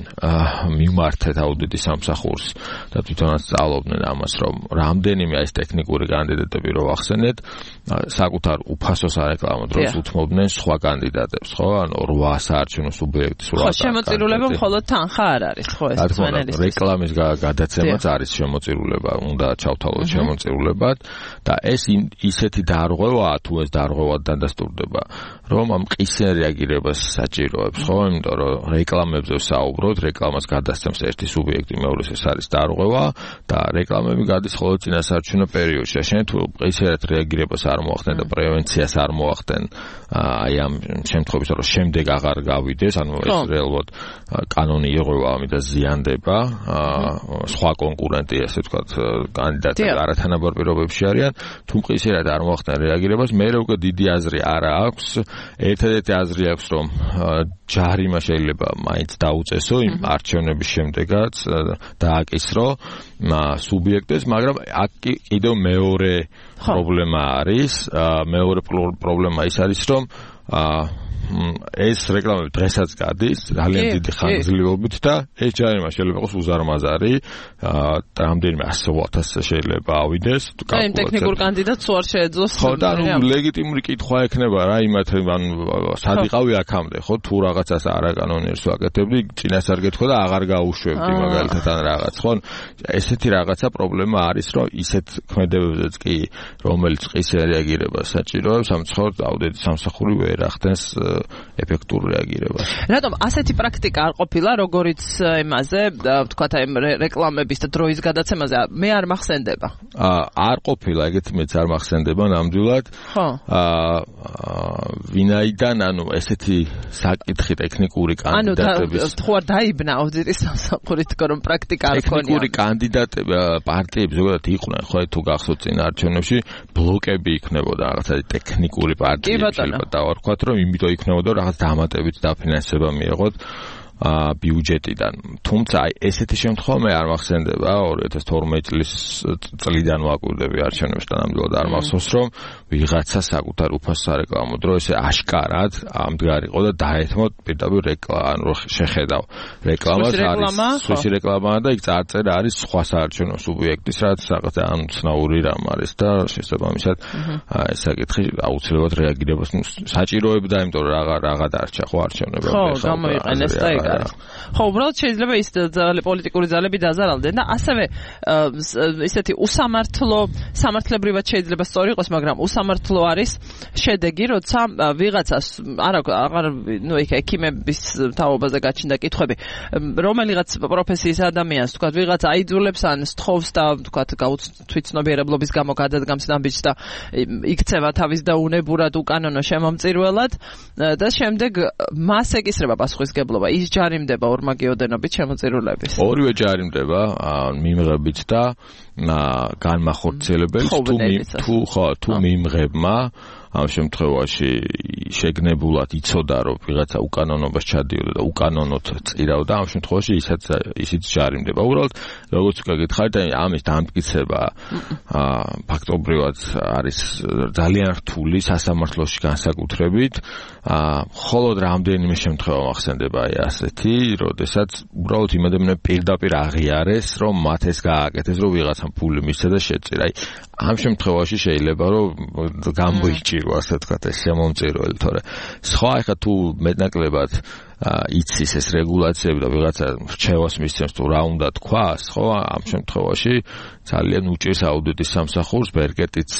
მიმართეთ აუდიტის სამსახურს და თვითონაც სწავლობდნენ ამას, რომ რამდენიმე ეს ტექნიკური კანდიდატები რო ახსენეთ, საკუთარ უფასოს არეკლამო დროს უთმობდნენ სხვა კანდიდატებს, ხო? ანუ რვა საარჩევნო სუბიექტის რვა. ხო, შემოწირულება მხოლოდ თანხა არ არის, ხო, ეს ძვენელის. რეკლამის გადაცემაც არის შემოწირულება, უნდა ჩავთავოთ შემოწირულებად და ეს ისეთი დარღვევაა, თუ ეს დარღვევად დადასტურდება, რომ ამ ყისიან რეაგირებას საჭიროებს, ხო? იმიტომ რომ რეკლამებზე საუბრობთ, რეკლამას გადასცემს ერთი სუბიექტი, მეორეს ეს არის დარღვევა და რეკლამები გადის ხოლმე წინასაარჩევნო პერიოდში. შენ თუ ყისიათ რეაგირებას არ მოახდენ და პრევენციას არ მოახდენ, აი ამ შემთხვევაში, რომ შემდეგ აღარ გავიდეს, ანუ ეს რეალურად კანონი იღება ამით და ზიანდება, სხვა კონკურენტი, ასე ვთქვათ, კანდიდატები არათანაბარ პირობებში არიან, თუ ყისიათ არ მოახდენ რეაგირებას, მე უკვე დიდი აზრი არ აქვს. ერთადერთი აზრი აქვს, რომ ჯარიმა შეიძლება მაინც დაუწესო იმ არჩევნების შემდეგაც დააკისრო სუბიექტებს, მაგრამ აქ კიდევ მეორე პრობლემა არის, მეორე პრობლემა ის არის, რომ ეს რეკლამები დღესაც გადის ძალიან დიდი ხანგრძლივობით და ეს ჯარიმა შეიძლება იყოს უზარმაზარი, რამდენიმე ასეულ ათასზე შეიძლება ავიდეს. და იმ ტექნიკურ კანდიდატს უარ შეეძლოს. ხო, და ანუ ლეგიტიმური კითხვა ექნება რა იმათ, ანუ სად იყავი აქამდე, ხო, თუ რაღაცას არაკანონიერს ვაკეთებდი, წინასწარ გეთქვა და აღარ გაუშვებდი მაგალითად ან რაღაც, ხო? ესეთი რაღაცა პრობლემა არის, რომ ისეთ ქმედებებზეც კი, რომელიც ყისიან რეაგირებას საჭიროებს, სამწუხაროდ აუდიტის სამსახური ვერ ახდენს ეფექტურ რეაგირებას. რატომ ასეთი პრაქტიკა არ ყოფილა, როგორიც იმაზე, ვთქვათ, აი რეკლამების და დროის გადაცემაზე მე არ მახსენდება. არ ყოფილა, ეგეთი მეც არ მახსენდება ნამდვილად. ხო. ვინაიდან, ანუ ესეთი საკითხი ტექნიკური კანდიდატების ანუ თუ არ დაიბნა აუდიტის სამსახური თქო რომ პრაქტიკა არ ქონია. ტექნიკური კანდიდატები პარტიები ზოგადად იყვნენ, ხო, თუ გახსოვთ წინ არჩევნებში ბლოკები იქნებოდა რაღაცა ტექნიკური პარტიები შეიძლება დავარქვათ, რომ იმიტომ იქნებოდა რაღაც დამატებით დაფინანსება მიიღოთ ბიუჯეტიდან. თუმცა აი ესეთი შემთხვევა მე არ მახსენდება ორი ათას თორმეტი წლის წლიდან ვაკვირდები არჩევნებს და ნამდვილად არ მახსოვს, რომ ვიღაცა საკუთარ უფასო სარეკლამო დრო ესე აშკარად ამდგარიყო და დაეთმოთ პირდაპირ რეკლამა, ანუ შეხედავ რეკლამას არის სუისი რეკლამა და იქ წარწერა არის სხვა საარჩევნო სუბიექტის, რაც რაღაც ან ცნაური რამ არის და შესაბამისად ეს საკითხი აუცილებლად რეაგირებას საჭიროებდა, იმიტომ რომ რაღა რაღა დარჩა ხო არჩევნებამდე. ხო, გამოიყენეს და ეგ არის. ხო, უბრალოდ შეიძლება ის პოლიტიკური ძალები დაზარალდნენ და ასევე ისეთი უსამართლო, სამართლებრივად შეიძლება სწორი იყოს, მაგრამ უსამართლო არის შედეგი, როცა ვიღაცას არა აღარ ნუ იქ ექიმების თაობაზე გაჩნდა კითხვები, რომელიღაც პროფესიის ადამიანს, თქვა ვიღაც აიძულებს ან სთხოვს და თქვა თვითცნობიერებლობის გამო გადადგამს ნაბიჯს და იქცევა თავის და უნებურად უკანონო შემომწირველად და შემდეგ მას ეკისრება პასუხისგებლობა. ის ჯარიმდება ორმაგიოდენობით შემოწირულების. ორივე ჯარიმდება მიმღებით და განმახორციელებელს თუ თუ ხო თუ მიმღებმა ამ შემთხვევაში შეგნებულად იცოდა რომ ვიღაცა უკანონობას ჩადიოდა და უკანონოდ წირავდა ამ შემთხვევაში ისაც ისიც ჯარიმდება უბრალოდ როგორც გითხარით ამის დამტკიცება ფაქტობრივად არის ძალიან რთული სასამართლოში განსაკუთრებით მხოლოდ რამდენიმე შემთხვევა მახსენდება აი ასეთი როდესაც უბრალოდ იმ ადამიანებს პირდაპირ აღიარეს რომ მათ ეს გააკეთეს რომ ვიღაცამ ფული მისცა და შეწირა აი ამ შემთხვევაში შეიძლება რომ გამოიჭირო ასე ვთქვათ ეს შემომწირველი თორე სხვა ახლა თუ მეტნაკლებად იცის ეს რეგულაციები და ვიღაცა რჩევას მისცემს თუ რა უნდა თქვას ხო ამ შემთხვევაში ძალიან უჭირს აუდიტის სამსახურს ბერკეტიც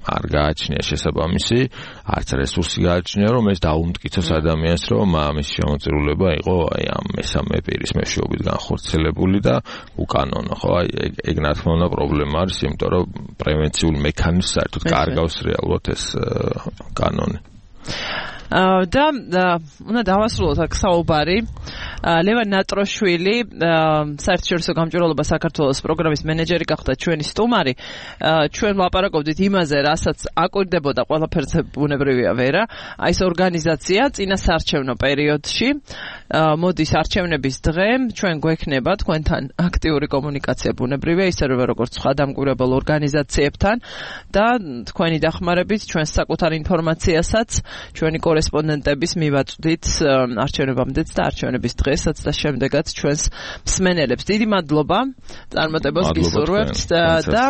არ გააჩნია შესაბამისი არც რესურსი გააჩნია რომ ეს დაუმტკიცოს ადამიანს რომ ამის შემოწირულება იყო აი ამ მესამე პირის მეშვეობით განხორციელებული და უკანონო ხო აი ეგ რა თქმა უნდა პრობლემა არის იმიტომ რომ პრევენციულ მექანიზმს საერთოდ კარგავს რეალურად ეს კანონი და უნდა დავასრულოთ აქ საუბარი ლევან ნატროშვილი საერთაშორისო გამჭვირვალობა საქართველოს პროგრამის მენეჯერი გახდა ჩვენი სტუმარი ჩვენ ვლაპარაკობდით იმაზე რასაც აკვირდებოდა ყველაფერზე ბუნებრივია ვერა აი ეს ორგანიზაცია წინა საარჩევნო პერიოდში მოდის არჩევნების დღე ჩვენ გვექნება თქვენთან აქტიური კომუნიკაცია ბუნებრივია ისე როგორც სხვა დამკვირვებელ ორგანიზაციებთან და თქვენი დახმარებით ჩვენს საკუთარ ინფორმაციასაც ჩვენი კორესპონდენტების მივაწვდით არჩევნებამდეც და არჩევნების დღესაც და შემდეგაც ჩვენს მსმენელებს. დიდი მადლობა წარმატებას გისურვებთ და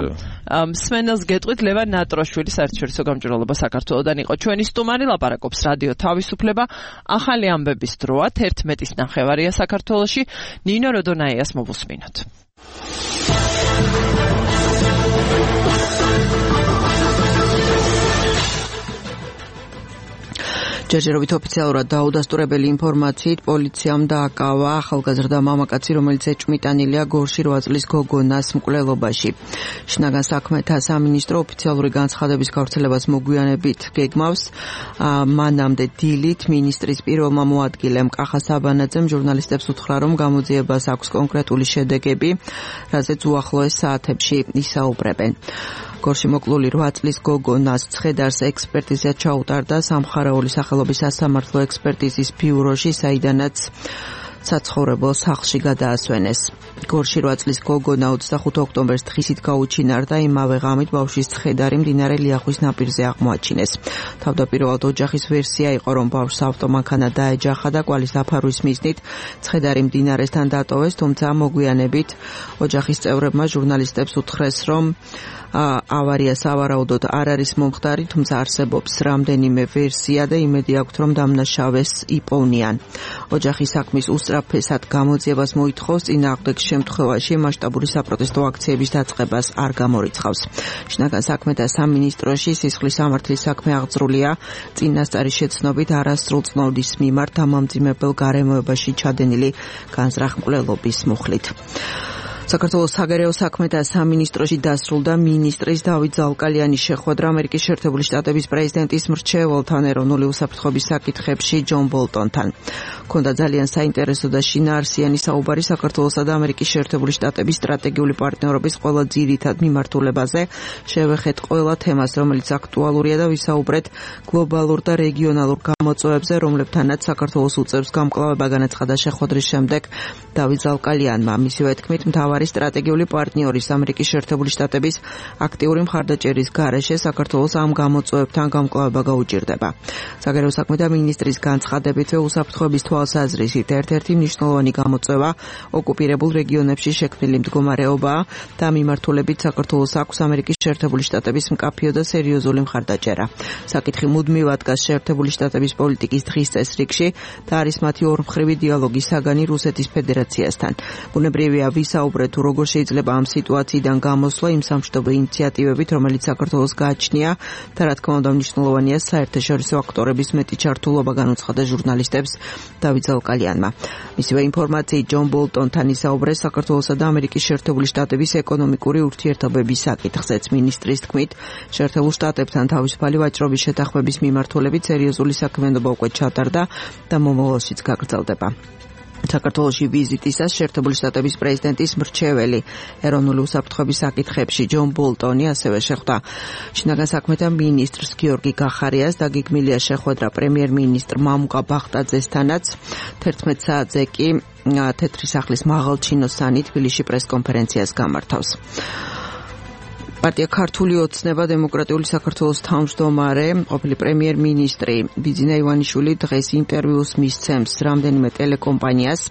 მსმენელს გეტყვით ლევან ნატროშვილი საერთაშორისო გამჭვირვალობა საქართველოსდან იყო ჩვენი სტუმარი ლაპარაკობს რადიო თავისუფლება ახალი ამბების დროა თერთმეტის ნახევარია საქართველოში ნინო როდონაიას მოვუსმინოთ. ჯერჯერობით ოფიციალურად დაუდასტურებელი ინფორმაციით პოლიციამ დააკავა ახალგაზრდა მამაკაცი, რომელიც ეჭვმიტანილია გორში რვა წლის გოგონას მკვლელობაში. შინაგან საქმეთა სამინისტრო ოფიციალური განცხადების გავრცელებას მოგვიანებით გეგმავს. მანამდე დილით მინისტრის პირველმა მოადგილემ კახა საბანაძემ ჟურნალისტებს უთხრა, რომ გამოძიებას აქვს კონკრეტული შედეგები, რაზეც უახლოეს საათებში ისაუბრებენ. გორში მოკლული რვა წლის გოგონას ცხედარს ექსპერტიზა ჩაუტარდა სამხარაული სახელობის სასამართლო ექსპერტიზის ბიუროში, საიდანაც საცხოვრებელ სახლში გადაასვენეს. გორში რვა წლის გოგონა ოცდახუთი ოქტომბერს დღისით გაუჩინარდა, იმავე ღამით ბავშვის ცხედარი მდინარე ლიახვის ნაპირზე აღმოაჩინეს. თავდაპირველად ოჯახის ვერსია იყო, რომ ბავშვს ავტომანქანა დაეჯახა და კვალის დაფარვის მიზნით ცხედარი მდინარესთან დატოვეს, თუმცა მოგვიანებით ოჯახის წევრებმა ჟურნალისტებს უთხრეს, რომ ავარია სავარაუდოდ არ არის მომხდარი, თუმცა არსებობს რამდენიმე ვერსია და იმედი აქვთ, რომ დამნაშავეს იპოვნიან. ოჯახი საქმის უსწრაფესად გამოძიებას მოითხოვს, წინააღმდეგ შემთხვევაში მასშტაბური საპროტესტო აქციების დაწყებას არ გამორიცხავს. შინაგან საქმეთა სამინისტროში სისხლის სამართლის საქმე აღძრულია წინასწარი შეცნობით არასრულ წნოვის მიმართ ამამძიმებელ გარემოებაში ჩადენილი განზრახ-მკვლელობის მუხლით. საქართველოს საგარეო საქმეთა სამინისტროში დასრულდა მინისტრის დავით ზალკალიანის შეხვედრა ამერიკის შეერთებული შტატების პრეზიდენტის მრჩეველთან ეროვნული უსაფრთხოების საკითხებში ჯონ ბოლტონთან. ქონდა ძალიან საინტერესო და შინაარსიანი საუბარი საქართველოსა და ამერიკის შეერთებული შტატების სტრატეგიული პარტნიორობის ყველა ძირითად მიმართულებაზე. შევეხეთ ყველა თემას, რომელიც აქტუალურია და ვისაუბრეთ გლობალურ და რეგიონალურ გამოწვევებზე, რომლებთანაც საქართველოს უწევს გამკლავება, განაცხადა შეხვედრის შემდეგ დავით ზალკალიანმა. მისივე თქმით, მთავარი სტრატეგიული პარტნიორის ამერიკის შეერთებული შტატების აქტიური მხარდაჭერის გარეშე საქართველოს ამ გამოწვევებთან გამკლავება გაუჭირდება. საგარეო საქმეთა მინისტრის განცხადებით უსაფრთხოების თვალსაზრისით ერთ-ერთი მნიშვნელოვანი გამოწვევა ოკუპირებულ რეგიონებში შექმნილი მდგომარეობაა და მიმართულებით საქართველოს აქვს ამერიკის შეერთებული შტატების მკაფიო და სერიოზული მხარდაჭერა. საკითხი მუდმივად დგას შეერთებული შტატების პოლიტიკის დღის წესრიგში და არის მათი ორმხრივი დიალოგის საგანი რუსეთის ფედერაციასთან. ბუნებრივია ვისაუბრეთ თუ როგორ შეიძლება ამ სიტუაციიდან გამოსვლა იმ სამშვიდობო ინიციატივებით, რომელიც საქართველოს გააჩნია და რა თქმა უნდა მნიშვნელოვანია საერთაშორისო აქტორების მეტი ჩართულობა, განუცხადა ჟურნალისტებს დავით ზალკალიანმა. მისივე ინფორმაციით ჯონ ბოლტონთან ისაუბრეს საქართველოსა და ამერიკის შეერთებული შტატების ეკონომიკური ურთიერთობების საკითხზეც. მინისტრის თქმით, შეერთებულ შტატებთან თავისუფალი ვაჭრობის შეთანხმების მიმართულებით სერიოზული საქმიანობა უკვე ჩატარდა და მომავალშიც გაგრძელდება. საქართველოში ვიზიტისას შეერთებული შტატების პრეზიდენტის მრჩეველი ეროვნული უსაფრთხოების საკითხებში ჯონ ბოლტონი ასევე შეხვდა შინაგან საქმეთა მინისტრს გიორგი გახარიას და გიგმილია შეხვედრა პრემიერ-მინისტრ მამუკა ბახტაძესთანაც თერთმეტ საათზე კი თეთრი სახლის მაღალჩინოსანი თბილისში პრესკონფერენციას გამართავს. პარტია ქართული ოცნება დემოკრატიული საქართველოს თავმჯდომარე ყოფილი პრემიერ-მინისტრი ბიძინა ივანიშვილი დღეს ინტერვიუს მისცემს რამდენიმე ტელეკომპანიას.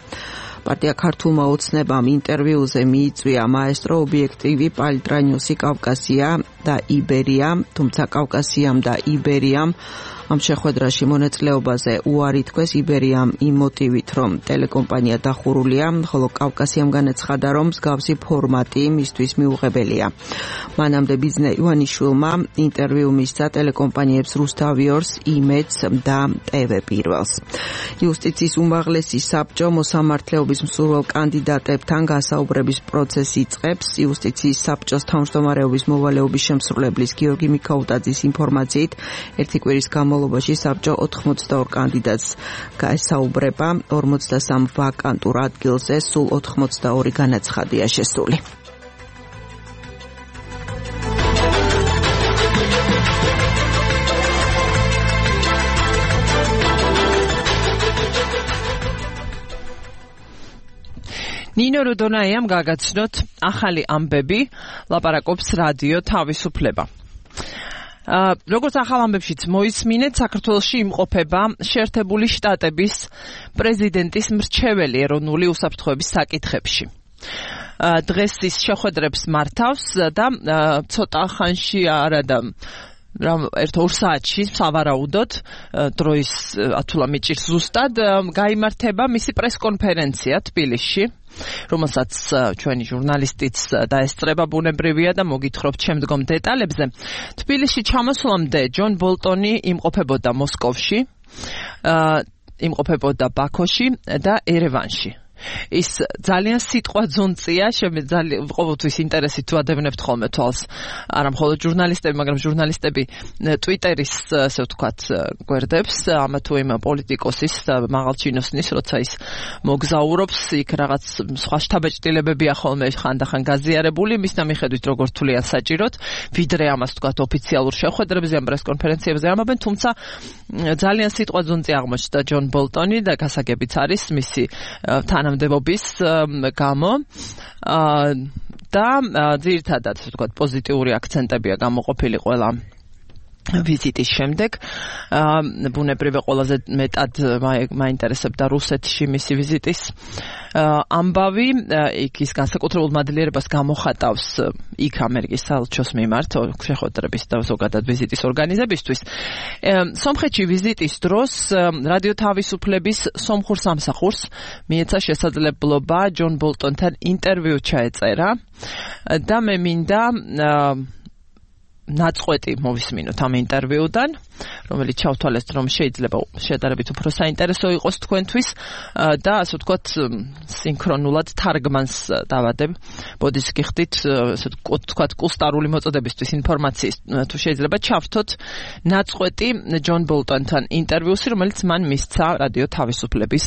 პარტია ქართულმა ოცნებამ ინტერვიუზე მიიწვია მაესტრო ობიექტივი პალიტრანიოსი კავკასია და იბერია, თუმცა კავკასიამ და იბერიამ ამ შეხვედრაში მონაწილეობაზე უარი თქვეს იბერიამ იმ მოტივით, რომ ტელეკომპანია დახურულია, ხოლო კავკასიამ განაცხადა, რომ მსგავსი ფორმატი მისთვის მიუღებელია. მანამდე ბიძინა ივანიშვილმა ინტერვიუ მისცა ტელეკომპანიებს რუსთავიორს, იმედს და ტევ პირველს. იუსტიციის უმაღლესი საბჭო მოსამართლეობის მსურველ კანდიდატებთან გასაუბრების პროცესს იწყებს. იუსტიციის საბჭოს თავმჯდომარეობის მოვალეობის შემსრულებლის გიორგი მიქაუტაძის ინფორმაციით, ერთი კვირის განმავლობაში საბჭო ოთხმოცდაორ კანდიდატს გაესაუბრება, ორმოცდასამ ვაკანტურ ადგილზე სულ ოთხმოცდაორი განაცხადია შესული. ნინო როდონაიამ გაგაცნოთ ახალი ამბები, ლაპარაკობს რადიო თავისუფლება. Uh, როგორც ახალ ამბებშიც მოისმინეთ, საქართველოში იმყოფება შეერთებული შტატების პრეზიდენტის მრჩეველი ეროვნული უსაფრთხოების საკითხებში. Uh, დღეს ის შეხვედრებს მართავს და uh, ცოტა ხანში არა და რომ ერთ-ორ საათში სავარაუდოდ დროის ათულა მიჭირს ზუსტად გაიმართება მისი პრესკონფერენცია თბილისში, რომელსაც ჩვენი ჟურნალისტიც დაესწრება ბუნებრივია და მოგითხრობთ შემდგომ დეტალებზე. თბილისში ჩამოსვლამდე ჯონ ბოლტონი იმყოფებოდა მოსკოვში, იმყოფებოდა ბაქოში და ერევანში. ის ძალიან სიტყვა ძუნწია, შემიძლია ყოველთვის ინტერესით ვადევნებთ ხოლმე თვალს. არა მხოლოდ ჟურნალისტები, მაგრამ ჟურნალისტები ტვიტერის, ასე ვთქვათ, გვერდებს, ამა თუ იმ პოლიტიკოსის მაღალჩინოსნის, როცა ის მოგზაურობს, იქ რაღაც სხვა შთაბეჭდილებებია ხოლმე ხანდახან გაზიარებული, მის მიხედვით როგორ თვლიან საჭიროდ, ვიდრე ამას ვთქვათ ოფიციალურ შეხვედრებზე, ამ პრესკონფერენციებზე ამობენ, თუმცა ძალიან სიტყვა ძუნწი აღმოჩნდა ჯონ ბოლტონი და გასაგებიც არის მისი თანამდებობის გამო და ძირითადად ვთქვათ პოზიტიური აქცენტებია გამოყოფილი ყველა ვიზიტის შემდეგ. ბუნებრივია ყველაზე მეტად მაინტერესებდა რუსეთში მისი ვიზიტის ამბავი. იქ ის განსაკუთრებულ მადლიერებას გამოხატავს იქ ამერიკის საელჩოს მიმართ შეხვედრების და ზოგადად ვიზიტის ორგანიზებისთვის. სომხეთში ვიზიტის დროს რადიო თავისუფლების სომხურ სამსახურს მიეცა შესაძლებლობა ჯონ ბოლტონთან ინტერვიუ ჩაეწერა და მე მინდა ნაწყვეტი მოვისმინოთ ამ ინტერვიუდან, რომელიც ჩავთვალეთ, რომ შეიძლება შედარებით უფრო საინტერესო იყოს თქვენთვის და ასე ვთქვათ სინქრონულად თარგმანს დავადებ. ბოდიშ გიხდით, ასე ვთქვათ, კუსტარული მოწოდებისთვის ინფორმაციის თუ შეიძლება ჩავთოთ ნაწყვეტი ჯონ ბოლტონთან ინტერვიუსი, რომელიც მან მისცა რადიო თავისუფლების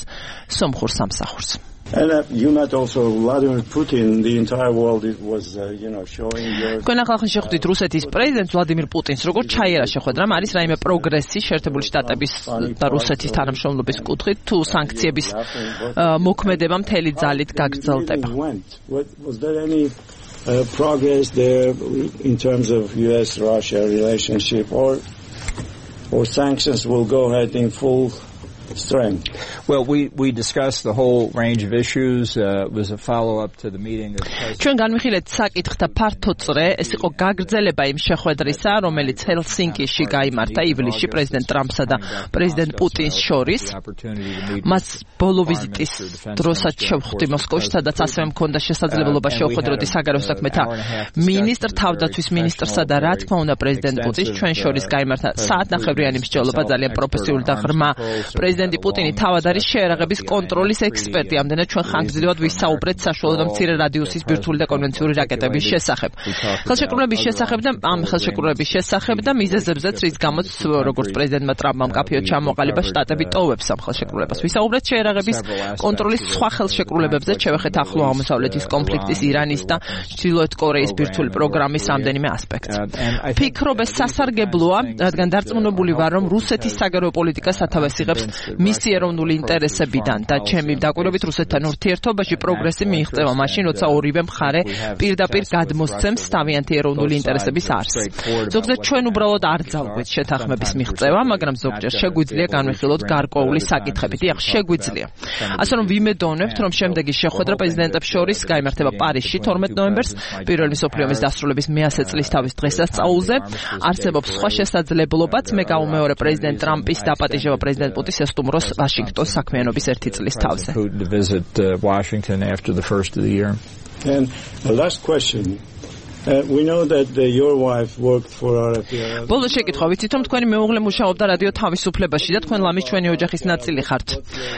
სომხურ სამსახურს. And uh, you met also Vladimir Putin. The entire world was, uh, you know, showing your. Თქვენ ახლა შეხვდით რუსეთის პრეზიდენტს ვლადიმირ პუტინს. როგორც ჩაიერა შეხვედრა, არის რაიმე პროგრესი შეერთებული შტატების და რუსეთის თანამშრომლობის კუთხით, თუ სანქციების მოქმედება მთელი ძალით გაგრძელდება? Was there any uh, progress there in terms of U S Russia relationship, or or sanctions will go ahead in full strength? Well, we we discussed the whole range of issues. Uh, it was a follow up to the meeting of ჩვენ განვიხილეთ საკითხთა ფართო წრე, ეს იყო გაგრძელება იმ შეხვედრისა, რომელიც ჰელსინკიში გაიმართა ივლისში პრეზიდენტ ტრამპსა და პრეზიდენტ პუტინს შორის. მას ბოლო ვიზიტის დროსაც შევხვდი მოსკოვში, სადაც ასევე მქონდა შესაძლებლობა შევხვედროდი საგარეო საქმეთა მინისტრ, თავდაცვის მინისტრსა და რა თქმა უნდა პრეზიდენტ პუტინს. ჩვენ შორის გაიმართა საათნახევრიანი მსჯელობა, ძალიან პროფესიული და ღრმა პრეზიდენტი პუტინი თავად არის შეერაღების კონტროლის ექსპერტი. ამდენად ჩვენ ხანგრძლივად ვისაუბრეთ საშუალო და მცირე რადიუსის ბირთვული და კონვენციური რაკეტების შესახებ. ხელშეკრულების შესახებ და ამ ხელშეკრულების შესახებ და მიზეზებზეც, რის გამოც როგორც პრეზიდენტმა ტრამპმა მკაფიოდ ჩამოყალიბა შტატები ტოვებს ამ ხელშეკრულებას. ვისაუბრეთ შეერაღების კონტროლის სხვა ხელშეკრულებებზე, შევეხეთ ახლო აღმოსავლეთის კონფლიქტის, ირანის და ჩრდილოეთ კორეის ბირთვული პროგრამის რამდენიმე ასპექტს. ფიქრობ ეს სასარგებლოა, რადგან დარწმუნებული ვარ, რომ რუსეთის საგარეო პოლიტიკა სათავეს იღებს მისი ეროვნული ინტერესებიდან და ჩემი დაკვირვებით რუსეთთან ურთიერთობაში პროგრესი მიიღწევა მაშინ, როცა ორივე მხარე პირდაპირ გადმოსცემს თავიანთი ეროვნული ინტერესების არსს. ზოგადად ჩვენ უბრალოდ არ ძალგვით შეთანხმების მიღწევა, მაგრამ ზოგჯერ შეგვიძლია განვიხილოთ გარკვეული საკითხები. დიახ, შეგვიძლია. ასე რომ ვიმედოვნებთ, რომ შემდეგი შეხვედრა პრეზიდენტებს შორის გაიმართება პარიზში თორმეტ ნოემბერს, პირველი მსოფლიო ომის დასრულების მეათე წლის თავის დღესასწაულზე. არსებობს სხვა შესაძლებლობაც, მე გავუმეორებ პრეზიდენტ ტრამპის დაპატიჟება პრეზიდენტ პუტინს ესტუმროს ვაშინგტონს საქმიანობის ერთი წლის თავზე. And the last question. Uh, we know that uh, your wife worked for R F E. ბოლოს შეკითხვა, ვიცით რომ თქვენი მეუღლე მუშაობდა რადიო თავისუფლებაში და თქვენ ლამის ჩვენი ოჯახის ნაწილი ხართ.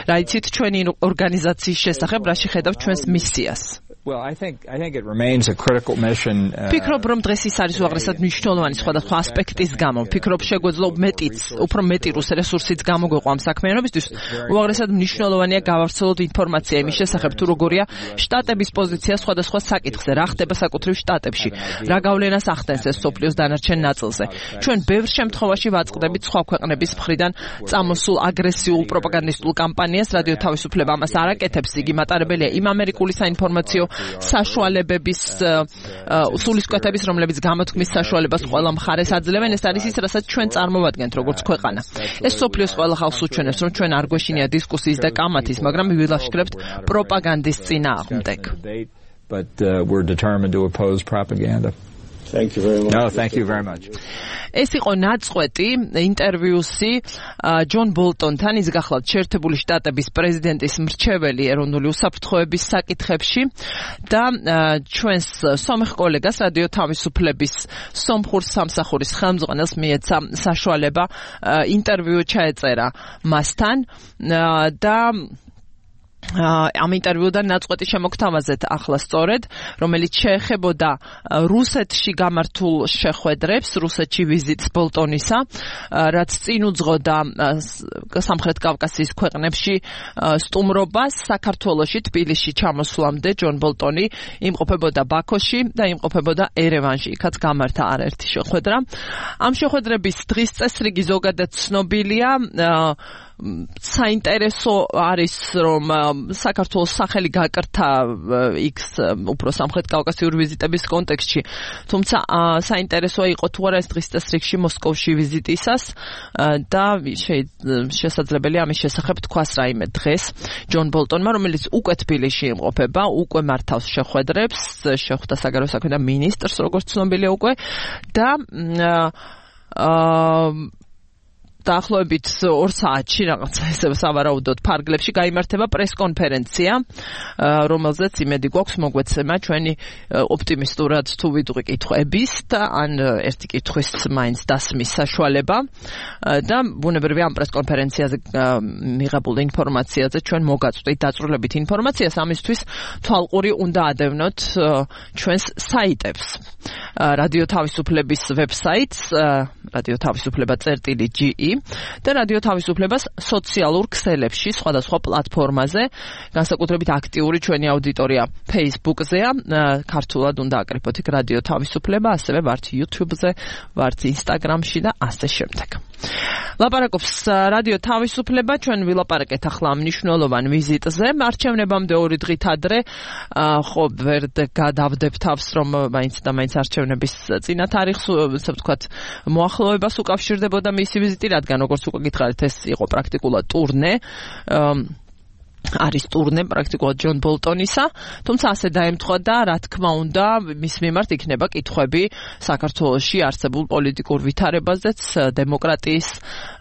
რა იცით ჩვენი ორგანიზაციის შესახებ, რაში ხედავთ ჩვენს მისიას? Well, I think I think it remains a critical mission. ფიქრობ რომ დღეს ის არის უაღრესად მნიშვნელოვანი სხვადასხვა ასპექტის გამო. ფიქრობ შეგვეძლო მეტიც, უფრო მეტი რუს რესურსიც გამოგვეყვა ამ საქმიანობისთვის. უაღრესად მნიშვნელოვანია გავავრცელოთ ინფორმაცია იმის შესახებ, თუ როგორია შტატების პოზიცია სხვადასხვა საკითხზე, რა ხდება საკუთრივ შტატებში, რა გავლენას ახდენს ეს სოფლიოს დანარჩენ ნაწილზე. ჩვენ ბევრ შემთხვევაში ვაწყდებით სხვა ქვეყნების მხრიდან წამოსულ აგრესიულ პროპაგანდისტულ კამპანიას, რადიო თავისუფლება ამას არ აკეთებს, იგი მატარებელია იმ ამერიკული საინფორმაციო საშუალებების სულისკვეთების, რომლებიც გამოთქმის საშუალებას ყველა მხარეს აძლევენ. ეს არის ის, რასაც ჩვენ წარმოვადგენთ როგორც ქვეყანა. ეს სოფლიოს ყველა ხალხს უჩვენებს, რომ ჩვენ არ გვეშინია დისკუსიის და კამათის, მაგრამ ვილაშქრებთ პროპაგანდის წინააღმდეგ. But uh, we're determined to oppose propaganda. Thank you very much. No, thank you very much. ეს იყო ნაწყვეტი ინტერვიუსი ჯონ ბოლტონთან, ის გახლავთ შეერთებული შტატების პრეზიდენტის მრჩეველი ეროვნული უსაფრთხოების საკითხებში და ჩვენს სომეხ კოლეგას რადიო თავისუფლების სომხურ სამსახურის ხელმძღვანელს მიეცა საშუალება ინტერვიუ ჩაეწერა მასთან და ამ ინტერვიუდან ნაწყვეტი შემოგთავაზეთ ახლა სწორედ, რომელიც შეეხებოდა რუსეთში გამართულ შეხვედრებს, რუსეთში ვიზიტს ბოლტონისა, რაც წინ უძღოდა სამხრეთ კავკასიის ქვეყნებში სტუმრობას. საქართველოში თბილისში ჩამოსვლამდე ჯონ ბოლტონი იმყოფებოდა ბაქოში და იმყოფებოდა ერევანში, იქაც გამართა არაერთი შეხვედრა. ამ შეხვედრების დღის წესრიგი ზოგადად ცნობილია. საინტერესო არის, რომ საქართველოს სახელი გაკრთა იქ უფრო სამხრეთ კავკასიური ვიზიტების კონტექსტში, თუმცა საინტერესოა იყო თუ არა ეს დღის წესრიგში მოსკოვში ვიზიტისას და შესაძლებელია ამის შესახებ თქვას რაიმე დღეს ჯონ ბოლტონმა, რომელიც უკვე თბილისში იმყოფება, უკვე მართავს შეხვედრებს, შეხვდა საგარეო საქმეთა მინისტრს, როგორც ცნობილია უკვე და აა დაახლოებით ორ საათში რაღაცა ესე სავარაუდოდ ფარგლებში გაიმართება პრესკონფერენცია, რომელზეც იმედი გვაქვს მოგვეცემა ჩვენი ოპტიმისტურად თუ ვიდღი კითხვების და ან ერთი კითხვის მაინც დასმის საშუალება და ბუნებრივია ამ პრესკონფერენციაზე მიღებულ ინფორმაციაზე ჩვენ მოგაწვდით დაწვრილებით ინფორმაციას, ამისთვის თვალყური უნდა ადევნოთ ჩვენს საიტებს. რადიო თავისუფლების ვებსაიტს რადიო თავისუფლება წერტილი ჯი ი და რადიო თავისუფლებას სოციალურ ქსელებში, სხვადასხვა პლატფორმაზე, განსაკუთრებით აქტიური ჩვენი აუდიტორია Facebook-ზეა, ქართულად უნდა აკრიფოთ იქ რადიო თავისუფლება, ასევე ვართ YouTube-ზე, ვართ Instagram-ში და ასე შემდეგ. ლაპარაკობს რადიო თავისუფლება, ჩვენ ვილაპარაკეთ ახლა მნიშვნელოვან ვიზიტზე, არჩევნებამდე ორი დღით ადრე, ხო ვერ გადავდებ თავს, რომ მაინც და მაინც არჩევნების წინა თარიღს, ასე ვთქვათ, მოახლოებას უკავშირდებოდა მისი ვიზიტი, რადგან როგორც უკვე გითხარით, ეს იყო პრაქტიკულად ტურნე. არის ტურნე პრაქტიკულად ჯონ ბოლტონისა, თუმცა ასე დაემთხვა და რა თქმა უნდა მის მიმართ იქნება კითხვები საქართველოში არსებულ პოლიტიკურ ვითარებაზეც, დემოკრატიის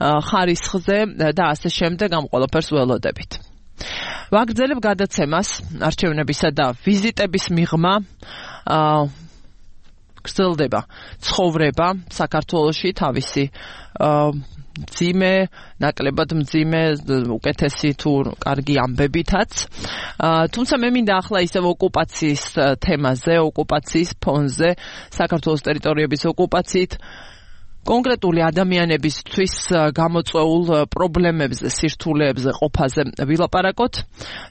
ხარისხზე და ასე შემდეგ, ამ ყველაფერს ველოდებით. ვაგრძელებ გადაცემას არჩევნებისა და ვიზიტების მიღმა გრძელდება ცხოვრება საქართველოში თავისი მძიმე, ნაკლებად მძიმე, უკეთესი თუ კარგი ამბებითაც. თუმცა მე მინდა ახლა ისევ ოკუპაციის თემაზე, ოკუპაციის ფონზე, საქართველოს ტერიტორიების ოკუპაციით კონკრეტული ადამიანებისთვის გამოწვეულ პრობლემებზე, სირთულეებზე, ყოფაზე ვილაპარაკოთ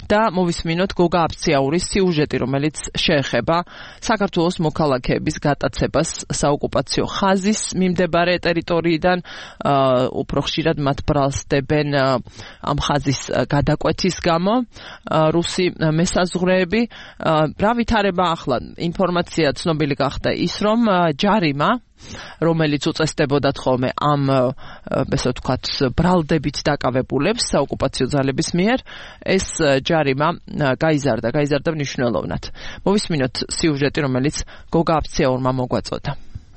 და მოვისმინოთ გოგა აფციაურის სიუჟეტი, რომელიც შეეხება საქართველოს მოქალაქეების გატაცებას საოკუპაციო ხაზის მიმდებარე ტერიტორიიდან, უფრო ხშირად მათ ბრალს დებენ ამ ხაზის გადაკვეთის გამო რუსი მესაზღვრეები. რა ვითარება ახლა? ინფორმაცია ცნობილი გახდა ის, რომ ჯარიმა რომელიც უწესდებოდათ ხოლმე ამ ესე ვთქვათ ბრალდებით დაკავებულებს საოკუპაციო ძალების მიერ, ეს ჯარიმა გაიზარდა, გაიზარდა მნიშვნელოვნად. მოვისმინოთ სიუჟეტი, რომელიც გოგა აფციაურმა მოგვაწოდა.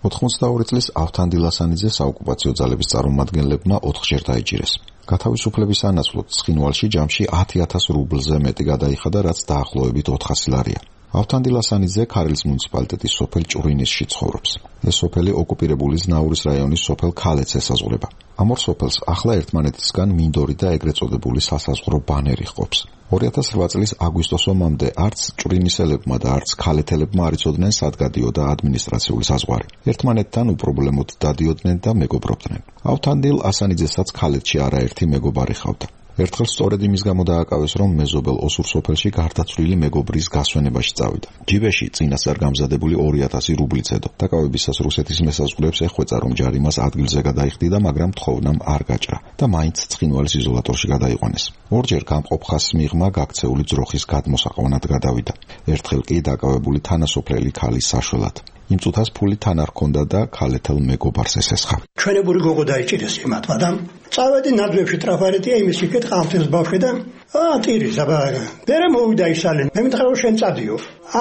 ოთხმოცდაორი წლის ავთანდილ ასანიძე საოკუპაციო ძალების წარმომადგენლებმა ოთხჯერ დაიჭირეს. გათავისუფლების ანაცვლოდ ცხინვალში ჯამში ათი ათას რუბლზე მეტი გადაიხადა, რაც დაახლოებით ოთხასი ლარია. ავთანდილ ასანიძე ქარელის მუნიციპალიტეტის სოფელ ჭურინისში ცხოვრობს. ეს სოფელი ოკუპირებული ზნაურის რაიონის სოფელ ქალეთს ესაზღვრება. ამ ორ სოფელს ახლა ერთმანეთისგან მინდორი და ეგრეთ წოდებული სასაზღვრო ბანერი ჰყოფს. ორი ათას რვა წლის აგვისტოს ომამდე არც ჭვრინისელებმა და არც ქალეთელებმა არ იცოდნენ სად გადიოდა ადმინისტრაციული საზღვარი. ერთმანეთთან უპრობლემოდ დადიოდნენ და მეგობრობდნენ. ავთანდილ ასანიძესაც ქალეთში არაერთი მეგობარი ჰყავდა. ერთხელ სწორედ იმის გამო დააკავეს, რომ მეზობელ ოსურ სოფელში გარდაცვლილი მეგობრის გასვენებაში წავიდა. ჯიბეში წინასწარ გამზადებული ორი ათასი რუბლი ცედო. დაკავებისას რუსეთის მესაზღვრეებს ეხვეწა, რომ ჯარი მას ადგილზე გადაიხდიდა, მაგრამ თხოვნამ არ გაჭრა და მაინც ცხინვალის იზოლატორში გადაიყვანეს. ორჯერ გამყოფ ხაზს მიღმა გაქცეული ძროხის გადმოსაყვანად გადავიდა. ერთხელ კი დაკავებული თანასოფლელი ქალის საშველად. იმ წუთას ფული თან არ ჰქონდა და ქალეთელ მეგობარს ესესხა. ჩვენებური გოგო დაიჭირეს იმათმა და წავედი ნაძვებში ტრაფარეტია იმის იქეთ ყავთელს ბავშვი და აა ტირი ზაბაგა. მერე მოვიდა ისალენ. მე მითხრა რომ შენ წადიო.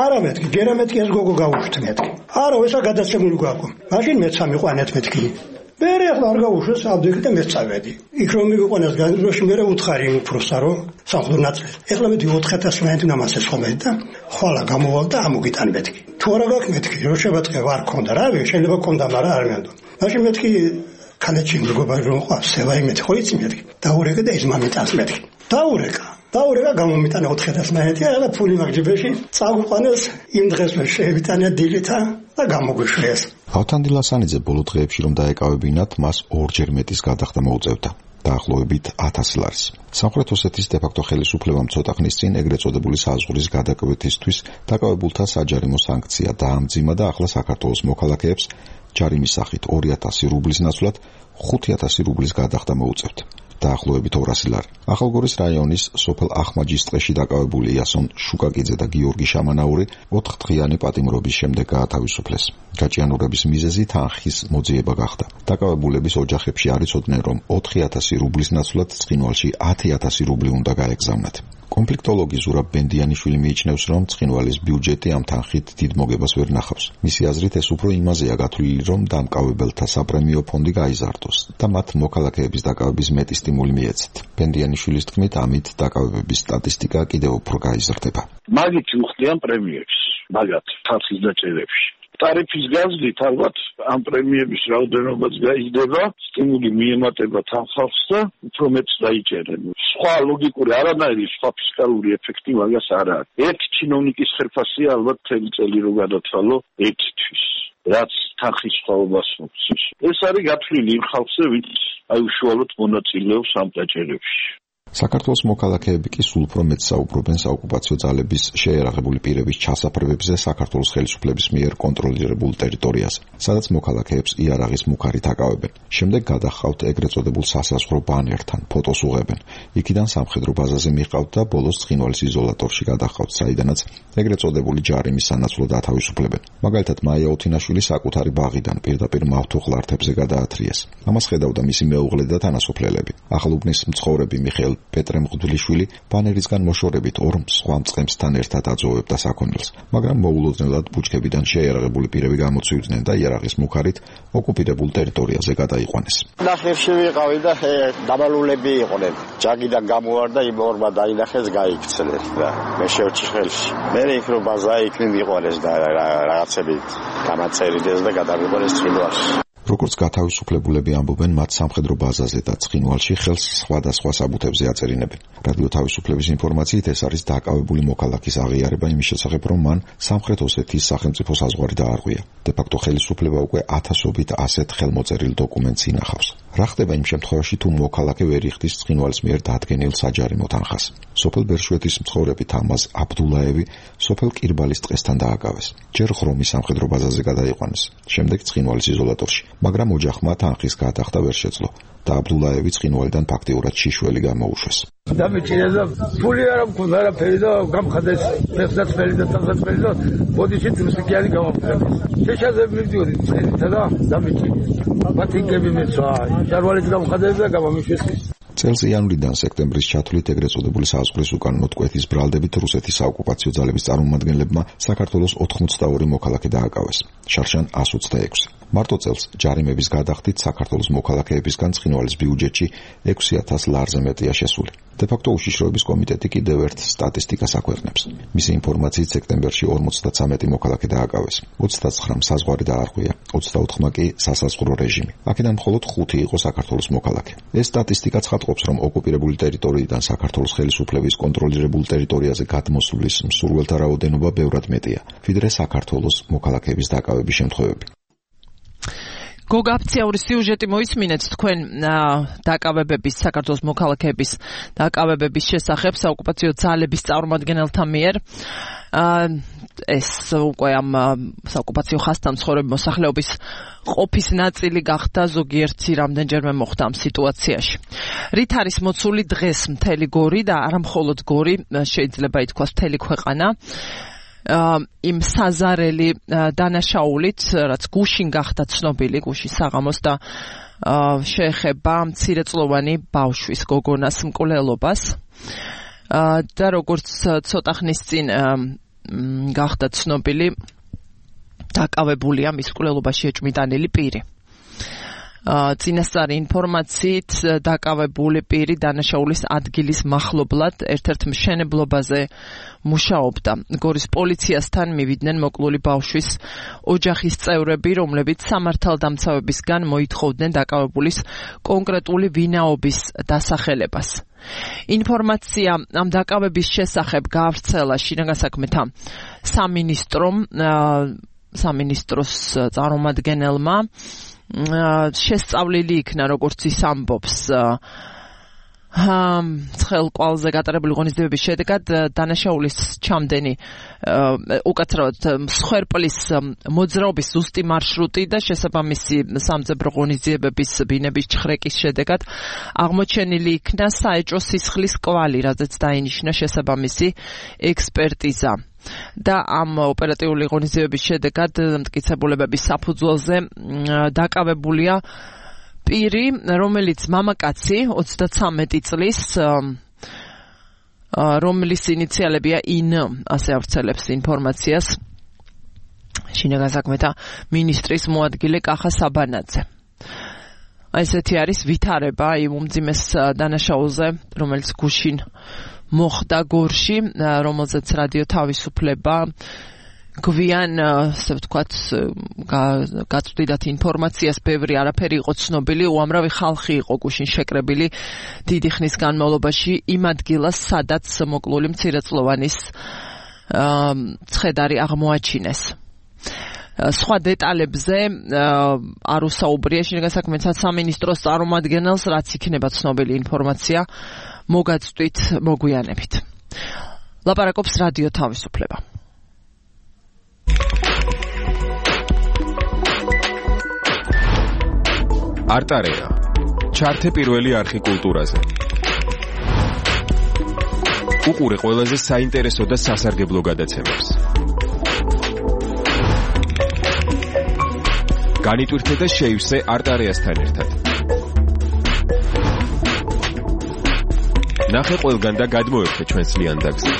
არა მეთქი, ჯერა მეთქი ეს გოგო გავუშვთ მეთქი. არა, ესა გადაცემული გვაქვს. მაშინ მეც სამიყვანეთ მეთქი. მერე ახლა არ გავუშვეს ავდექი და მეც წავედი. იქ რომ მივიყვანეს განძროში მერე უთხარი იმ უფროსა რომ სამხედრო ნაწილი. ეხლა მედი ოთხ ათას მაინც ნამასეს ხომე და ხვალა გამოვალ და ამოგიტან მეთქი. თუ არა გაქვს მეთქი, რო შევაწყე ვარ ქონდა რა, შეიძლება ქონდა, მაგრამ არ მენდო. მაშინ მეთქი ქალეთში მეგობარი რომ ყავს, სევაი მეთქი ხო იცი მეთქი. დაურეკე და ის მამიტანს მეთქი. დაურეკა. დაურეკა გამომიტანა ოთხ ათას მაინც, ახლა ფული მაგჯიბეში წაგვიყვანეს იმ დღეს მე შევიტანე დილითა და გამოგვიშვეს. ავთანდილ ასანიძე ბოლო დღეებში რომ დაეკავებინათ, მას ორჯერ მეტის გადახდა მოუწევდა. დაახლოებით ათასი ლარის. სამხრეთ ოსეთის დე-ფაქტო ხელისუფლებამ ცოტა ხნის წინ ეგრეთ წოდებული საზღვრის გადაკვეთისთვის დაკავებულთა საჯარიმო სანქცია დაამძიმა და ახლა საქართველოს მოქალაქეებს ჯარიმის სახით ორი ათასი რუბლის ნაცვლად ხუთი ათასი რუბლის გადახდა მოუწევთ. დაახლოებით ორასი ლარი. ახალგორის რაიონის სოფელ ახმაჯის ტყეში დაკავებული იასონ შუკაკიძე და გიორგი შამანაური ოთხდღიანი პატიმრობის შემდეგ გაათავისუფლეს. გაჭიანურების მიზეზი თანხის მოძიება გახდა. დაკავებულების ოჯახებში არ იცოდნენ, რომ ოთხი ათასი რუბლის ნაცვლად ცხინვალში ათი ათასი რუბლი უნდა გაეგზავნათ. კონფლიქტოლოგი ზურაბ ბენდიანიშვილი მიიჩნევს, რომ ცხინვალის ბიუჯეტი ამ თანხით დიდ მოგებას ვერ ნახავს. მისი აზრით ეს უფრო იმაზეა გათვლილი, რომ დამკავებელთა საპრემიო ფონდი გაიზარდოს და მათ მოქალაქეების დაკავების მეტი სტიმული მიეცათ. ბენდიანიშვილის თქმით, ამით დაკავებების სტატისტიკა კიდევ უფრო გაიზრდება. მაგით უხდიან პრემიებს, მაგათ თანხის დაჭერებში. ტარიფის გაზრდით ალბათ ამ პრემიების რაოდენობაც გაიზრდება, სტიმული მიემატება თანხავს და უფრო მეტს დაიჭერენ. სხვა ლოგიკური არანაირი სხვა ფისკალური ეფექტი მაგას არ არის. ერთი ჩინოვნიკის ხერხასია ალბათ მთელი წელი რო გადათვალო ერთთვის, რაც თანხის სხვაობას მოხსნის. ეს არის გათვლილი იმ ხალხზე, ვინც აი უშუალოდ მონაწილეობს ამ დაჭერებში. საქართველოს მოქალაქეები კი სულ უფრო მეტს საუბრობენ საოკუპაციო ძალების შეერაღებული პირების ჩასაფრებებზე საქართველოს ხელისუფლების მიერ კონტროლირებულ ტერიტორიაზე, სადაც მოქალაქეებს იარაღის მუქარით აკავებენ. შემდეგ გადახავთ ეგრეთ წოდებულ სასაზღვრო ბანერთან, ფოტოს უღებენ. იქიდან სამხედრო ბაზაზე მიყავთ და ბოლოს ცხინვალის იზოლატორში გადახავთ, საიდანაც ეგრეთ წოდებული ჯარიმის სანაცვლოდ ათავისუფლებენ. მაგალითად, მაია ოთინაშვილი საკუთარი ბაღიდან პირდაპირ მავთუხლართებზე გადაათრიეს. ამას ხედავდა მისი მეუღლე და თანასოფლელები. ახალუბნის მცხოვრები მიხეილ პეტრე მღვდლიშვილი ბანერისგან მოშორებით ორ სხვა მწყემსთან ერთად აძოვებდა საქონელს, მაგრამ მოულოდნელად ბუჩქებიდან შეიარაღებული პირები გამოცივდნენ და იარაღის მუქარით ოკუპირებულ ტერიტორიაზე გადაიყვანეს. ნახევში ვიყავი და დაბალულები იყვნენ. ჯაგიდან გამოვარდა, იმ ორმა დაინახეს, გაიქცნენ და მე შევჭი ხელში. მე იქ რო ბაზა იქ მიყვანეს და რაღაცები გამაწერიდეს და გადავიყვანეს ცხინვალში. როგორც გათავისუფლებულები ამბობენ, მათ სამხედრო ბაზაზე და ცხინვალში ხელს სხვადასხვა საბუთებზე აწერინებენ. რადიო თავისუფლების ინფორმაციით ეს არის დაკავებული მოქალაქის აღიარება იმის შესახებ, რომ მან სამხრეთ ოსეთის სახელმწიფო საზღვარი დაარღვია. დე-ფაქტო ხელისუფლება უკვე ათასობით ასეთ ხელმოწერილ დოკუმენტს ინახავს. რა ხდება იმ შემთხვევაში, თუ მოქალაქე ვერ იხდის ცხინვალის მიერ დადგენილ საჯარიმო თანხას? სოფელ ბერშვეთის მცხოვრები თამაზ აბდულაევი სოფელ კირბალის ტყესთან დააკავეს. ჯერ ხრომის სამხედრო ბაზაზე გადაიყვანეს, შემდეგ ცხინვალის იზოლატორში, მაგრამ ოჯახმა თანხის გადახდა ვერ შეძლო და აბდულაევი ცხინვალიდან ფაქტიურად შიშველი გამოუშვეს. დამეჭირა და ფული არ მქონდა არაფერი და გამხადეს ფეხსაცმელი და თანხმელი და ბოდიში თრუსიკიანი გამოფრების. შეშაზები მივდიოდი ცხენითა და დამეჭირა. ბათინკები მეცვა, ჟარვალიც გამხადები და გამომიშვეს. წელს იანვრიდან სექტემბრის ჩათვლით ეგრეთ წოდებული საზღვრის უკანონო ტყვეთის ბრალდებით რუსეთის საოკუპაციო ძალების წარმომადგენლებმა საქართველოს ოთხმოცდაორი მოქალაქე დააკავეს, შარშან ასი ოცდაექვსი. მარტო წელს ჯარიმების გადახდით საქართველოს მოქალაქეებისგან ცხინვალის ბიუჯეტში ექვსი ათას ლარზე მეტია შესული. დე-ფაქტო უშიშროების კომიტეტი კიდევ ერთ სტატისტიკას აქვეყნებს. მისი ინფორმაციით სექტემბერში ორმოცდათვრამეტი მოქალაქე დააკავეს, ოცდაცხრამ საზღვარი დაარღვია, ოცდაოთხმა კი სასაზღვრო რეჟიმი. აქედან მხოლოდ ხუთი იყო საქართველოს მოქალაქე. ეს სტატისტიკა ცხადყოფს, რომ ოკუპირებული ტერიტორიიდან საქართველოს ხელისუფლების კონტროლირებულ ტერიტორიაზე გადმოსვლის მსურველთა რაოდენობა ბევრად მეტია, ვიდრე საქართველოს მოქალაქეების დაკავების შემთხვევები. გოგაფციაური სიუჟეტი მოისმინეთ თქვენ დაკავებების საქართველოს მოქალაქეების დაკავებების შესახებ საოკუპაციო ძალების წარმომადგენელთა მიერ. ეს უკვე ამ საოკუპაციო ხაზთან მცხოვრები მოსახლეობის ყოფის ნაწილი გახდა, ზოგიერთი რამდენჯერმე მოხდა ამ სიტუაციაში. რით არის მოცული დღეს მთელი გორი და არა მხოლოდ გორი, შეიძლება ითქვას მთელი ქვეყანა იმ საზარელი დანაშაულით, რაც გუშინ გახდა ცნობილი, გუშინ საღამოს და შეეხება მცირეწლოვანი ბავშვის გოგონას მკვლელობას და როგორც ცოტა ხნის წინ გახდა ცნობილი, დაკავებულია მის მკვლელობაში ეჭვმიტანილი პირი. წინასწარი ინფორმაციით დაკავებული პირი დანაშაულის ადგილის მახლობლად ერთ-ერთ მშენებლობაზე მუშაობდა. გორის პოლიციასთან მივიდნენ მოკლული ბავშვის ოჯახის წევრები, რომლებიც სამართალდამცავებისგან მოითხოვდნენ დაკავებულის კონკრეტული ვინაობის დასახელებას. ინფორმაცია ამ დაკავების შესახებ გაავრცელა შინაგან საქმეთა სამინისტრომ, სამინისტროს წარმომადგენელმა. შესწავლილი იქნა, როგორც ის ამბობს, ცხელყვალზე გატარებული ღონისძიებების შედეგად დანაშაულის ჩამდენი უკაცრავად მსხვერპლის მოძრაობის ზუსტი მარშრუტი და შესაბამისი სამძებრო ღონისძიებების ბინების ჩხრეკის შედეგად აღმოჩენილი იქნა საეჭვო სისხლის კვალი, რაზეც დაინიშნა შესაბამისი ექსპერტიზა. და ამ ოპერატიული ღონისძიებების შედეგად მტკიცებულებების საფუძველზე დაკავებულია პირი, რომელიც მამაკაცი, ოცდათვრამეტი წლის, რომლის ინიციალებია ინ, ასე ავრცელებს ინფორმაციას შინაგან საქმეთა მინისტრის მოადგილე კახა საბანაძე. ესეთი არის ვითარება იმ უმძიმეს დანაშაულზე, რომელიც გუშინ მოხდა გორში, რომელზეც რადიო თავისუფლება გვიან, ასე ვთქვათ, გაწვდიდათ ინფორმაციას, ბევრი არაფერი იყო ცნობილი, უამრავი ხალხი იყო გუშინ შეკრებილი დიდი ხნის განმავლობაში იმ ადგილას, სადაც მოკლული მცირეწლოვანის ცხედარი აღმოაჩინეს. სხვა დეტალებზე არ უსაუბრია შინაგან საქმეთა სამინისტროს წარმომადგენელს, რაც იქნება ცნობილი ინფორმაცია მოგაწვდით მოგვიანებით. ლაპარაკობს რადიო თავისუფლება. არტარეა. ჩართე პირველი არხი კულტურაზე. უყურე ყველაზე საინტერესო და სასარგებლო გადაცემებს. განიტვირთე და შეივსე არტარეასთან ერთად. ნახე ყველგან და გადმოერთე ჩვენს ლიანდაგზე.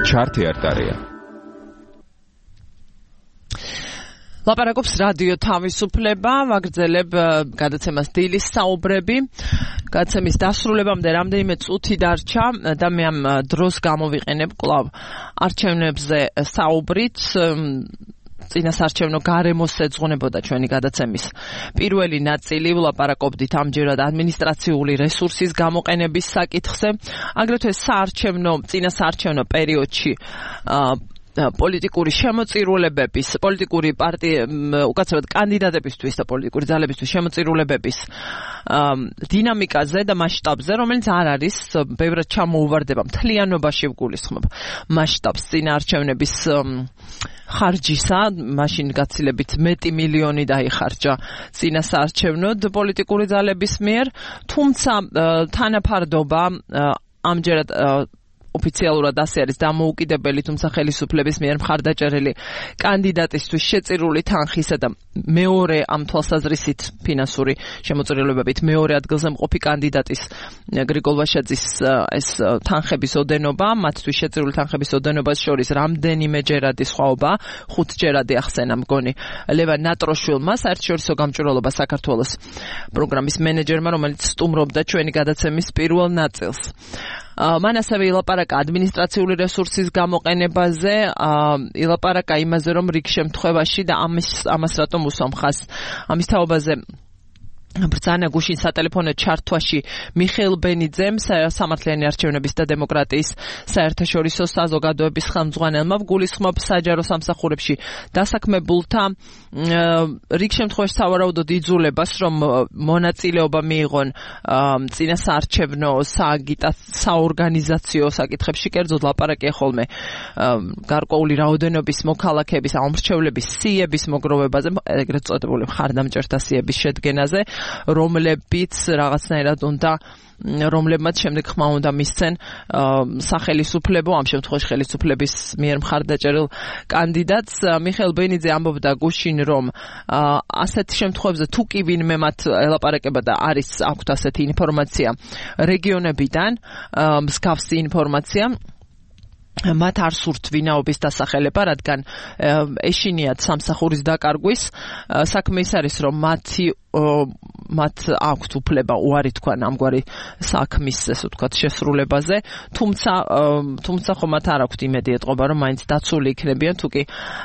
ჩართე არტარეა. ლაპარაკობს რადიო თავისუფლება, ვაგრძელებ გადაცემას დილის საუბრები. გადაცემის დასრულებამდე რამდენიმე წუთი დარჩა და მე ამ დროს გამოვიყენებ კვლავ არჩევნებზე საუბრით. წინასარჩევნო გარემოს ეძღვნებოდა ჩვენი გადაცემის პირველი ნაწილი. ვლაპარაკობდით ამჯერად ადმინისტრაციული რესურსის გამოყენების საკითხზე, აგრეთვე საარჩევნო წინასარჩევნო პერიოდში პოლიტიკური შემოწირულებების, პოლიტიკური პარტია, უკაცრავად კანდიდატებისთვის და პოლიტიკური ძალებისთვის შემოწირულებების დინამიკაზე და მასშტაბზე, რომელიც არ არის ბევრად ჩამოუვარდება მთლიანობაში ვგულისხმობ მასშტაბს წინაარჩევნების ხარჯისა, მაშინ გაცილებით მეტი მილიონი დაიხარჯა წინასაარჩევნოდ პოლიტიკური ძალების მიერ, თუმცა თანაფარდობა ამჯერად ოფიციალურად ასე არის დამოუკიდებელი, თუმცა ხელისუფლების მიერ მხარდაჭერილი კანდიდატისთვის შეწირული თანხისა და მეორე ამ თვალსაზრისით ფინანსური შემოწირულობებით მეორე ადგილზე მყოფი კანდიდატის გრიგოლ ვაშაძის ეს თანხების ოდენობა, მათთვის შეწირული თანხების ოდენობას შორის რამდენიმეჯერადი სხვაობა, ხუთჯერადი ახსენა მგონი ლევან ნატროშვილმა, საერთაშორისო გამჭვირვალობა საქართველოს პროგრამის მენეჯერმა, რომელიც სტუმრობდა ჩვენი გადაცემის პირველ ნაწილს. მან ასევე ილაპარაკა ადმინისტრაციული რესურსის გამოყენებაზე, ილაპარაკა იმაზე, რომ რიგ შემთხვევაში და ამის ამას რატომ უსამხას ამის თაობაზე ბრძანა გუშინ სატელეფონო ჩართვაში მიხეილ ბენიძემ, სამართლიანი არჩევნების და დემოკრატიის საერთაშორისო საზოგადოების ხელმძღვანელმა, ვგულისხმობ საჯარო სამსახურებში დასაქმებულთა რიგ შემთხვევაში სავარაუდოდ იძულებას, რომ მონაწილეობა მიიღონ წინასაარჩევნო საორგანიზაციო საკითხებში, კერძოდ ლაპარაკია ხოლმე გარკვეული რაოდენობის მოქალაქეების, ამორჩევლების სიების მოგროვებაზე, ეგრეთ წოდებული მხარდამჭერთა სიების შედგენაზე, რომლებიც რაღაცნაირად უნდა რომლებმაც შემდეგ ხმა უნდა მისცენ სახელისუფლებო, ამ შემთხვევაში ხელისუფლების მიერ მხარდაჭერილ კანდიდატს. მიხეილ ბენიძე ამბობდა გუშინ, რომ ასეთ შემთხვევებზე თუ კი ვინმე მათ ელაპარაკება და არის აქვთ ასეთი ინფორმაცია რეგიონებიდან, მსგავსი ინფორმაცია, მათ არ სურთ ვინაობის დასახელება, რადგან ეშინიათ სამსახურის დაკარგვის საქმე ის არის, რომ მათი მათ აქვთ უფლება უარი თქვან ამგვარი საქმის, ესე ვთქვათ, შესრულებაზე, თუმცა თუმცა ხომ მათ არ აქვთ იმედი ეტყობა, რომ მაინც დაცული იქნებიან, თუ კი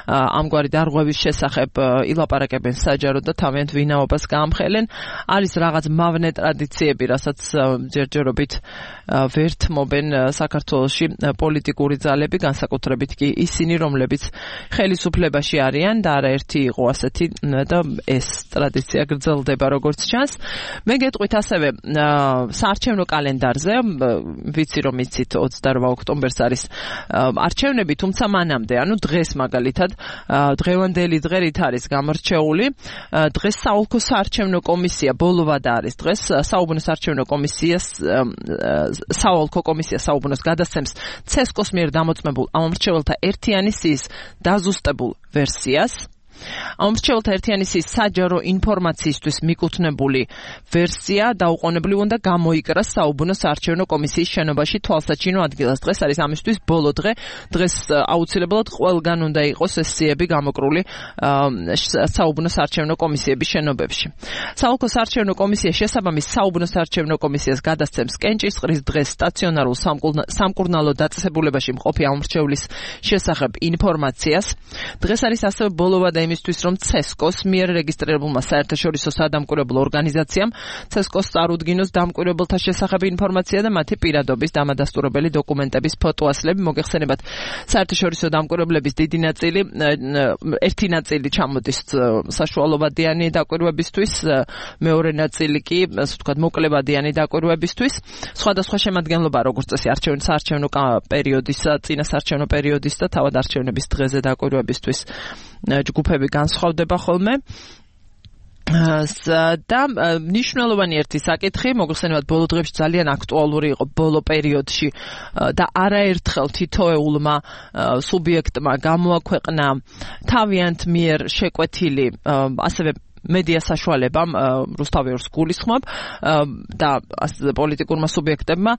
ამგვარი დარღვევის შესახებ ილაპარაკებენ საჯაროდ და თავიანთ ვინაობას გაამხელენ. არის რაღაც მავნე ტრადიციები, რასაც ჯერჯერობით ვერთმობენ საქართველოში პოლიტიკური ძალები, განსაკუთრებით კი ისინი, რომლებიც ხელისუფლებაში არიან და არაერთი იყო ასეთი და ეს ტრადიცია გრძელდება როგორც ჩანს. მე გეტყვით ასევე საარჩევნო კალენდარზე, ვიცი რომ იცით ოცდაორ ოქტომბერს არის არჩევნები, თუმცა მანამდე, ანუ დღეს მაგალითად, დღევანდელი დღე რით არის გამორჩეული, დღეს საოლქო საარჩევნო კომისია ბოლოვადა არის დღეს, საუბნო საარჩევნო კომისიას საოლქო კომისია საუბნოს გადასცემს ცესკოს მიერ დამოწმებულ ამომრჩეველთა ერთიანი სიის დაზუსტებულ ვერსიას. ამომრჩეველთა ერთიანი სიის საჯარო ინფორმაციისთვის მიკუთვნებული ვერსია დაუყოვნებლივ უნდა გამოიკრას საუბნო საარჩევნო კომისიის შენობაში თვალსაჩინო ადგილას. დღეს არის ამისთვის ბოლო დღე. დღეს აუცილებლად ყველგან უნდა იყოს ეს სიები გამოკრული საუბნო საარჩევნო კომისიების შენობებში. საოლქო საარჩევნო კომისია შესაბამის საუბნო საარჩევნო კომისიას გადასცემს კენჭისყრის დღეს სტაციონარულ სამკურნალო დაწესებულებაში მყოფი ამომრჩევლის შესახებ ინფორმაციას. დღეს არის ასევე ბოლოვადა იმისთვის, რომ ცესკოს მიერ რეგისტრირებულმა საერთაშორისო სადამკვირვებლო ორგანიზაციამ ცესკოს წარუდგინოს დამკვირვებელთა შესახებ ინფორმაცია და მათი პირადობის დამადასტურებელი დოკუმენტების ფოტოასლები. მოგეხსენებათ, საერთაშორისო დამკვირვებლების დიდი ნაწილი, ერთი ნაწილი ჩამოდის საშუალოვადიანი დაკვირვებისთვის, მეორე ნაწილი კი, ასე ვთქვათ, მოკლებადიანი დაკვირვებისთვის. სხვადასხვა შემადგენლობა, როგორც წესი, არჩევნო საარჩევნო პერიოდისა, წინასაარჩევნო პერიოდის და თავად არჩევნების დღეზე დაკვირვებისთვის ჯგუფები განსხვავდება ხოლმე. და მნიშვნელოვანი ერთი საკითხი, მოგხსენებათ, ბოლო დღეებში ძალიან აქტუალური იყო ბოლო პერიოდში და არაერთხელ თითოეულმა სუბიექტმა გამოაქვეყნა თავიანთ მიერ შეკვეთილი, ასევე მედია საშუალებამ რუსთავიორს გულისხმობ და პოლიტიკურმა სუბიექტებმა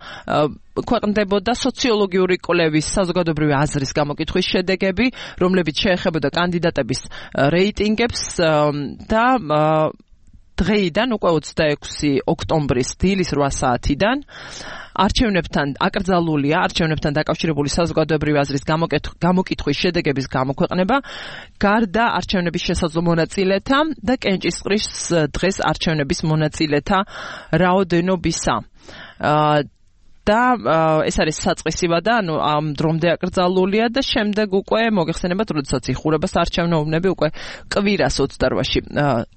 ქვეყნდებოდა სოციოლოგიური კვლევის საზოგადოებრივი აზრის გამოკითხვის შედეგები, რომლებიც შეეხებოდა კანდიდატების რეიტინგებს და დღეიდან უკვე ოცდაექვსი ოქტომბრის დილის რვა საათიდან არჩევნებთან აკრძალულია არჩევნებთან დაკავშირებული საზოგადოებრივი აზრის გამოკითხვის შედეგების გამოქვეყნება გარდა არჩევნების შესაძლო მონაწილეთა და კენჭისყრის დღეს არჩევნების მონაწილეთა რაოდენობისა. და ეს არის საწყისი ვადა, ანუ ამ დრომდე აკრძალულია და შემდეგ უკვე მოგეხსენებათ, როდესაც იხურება საარჩევნო უბნები, უკვე კვირას ოცდარვაში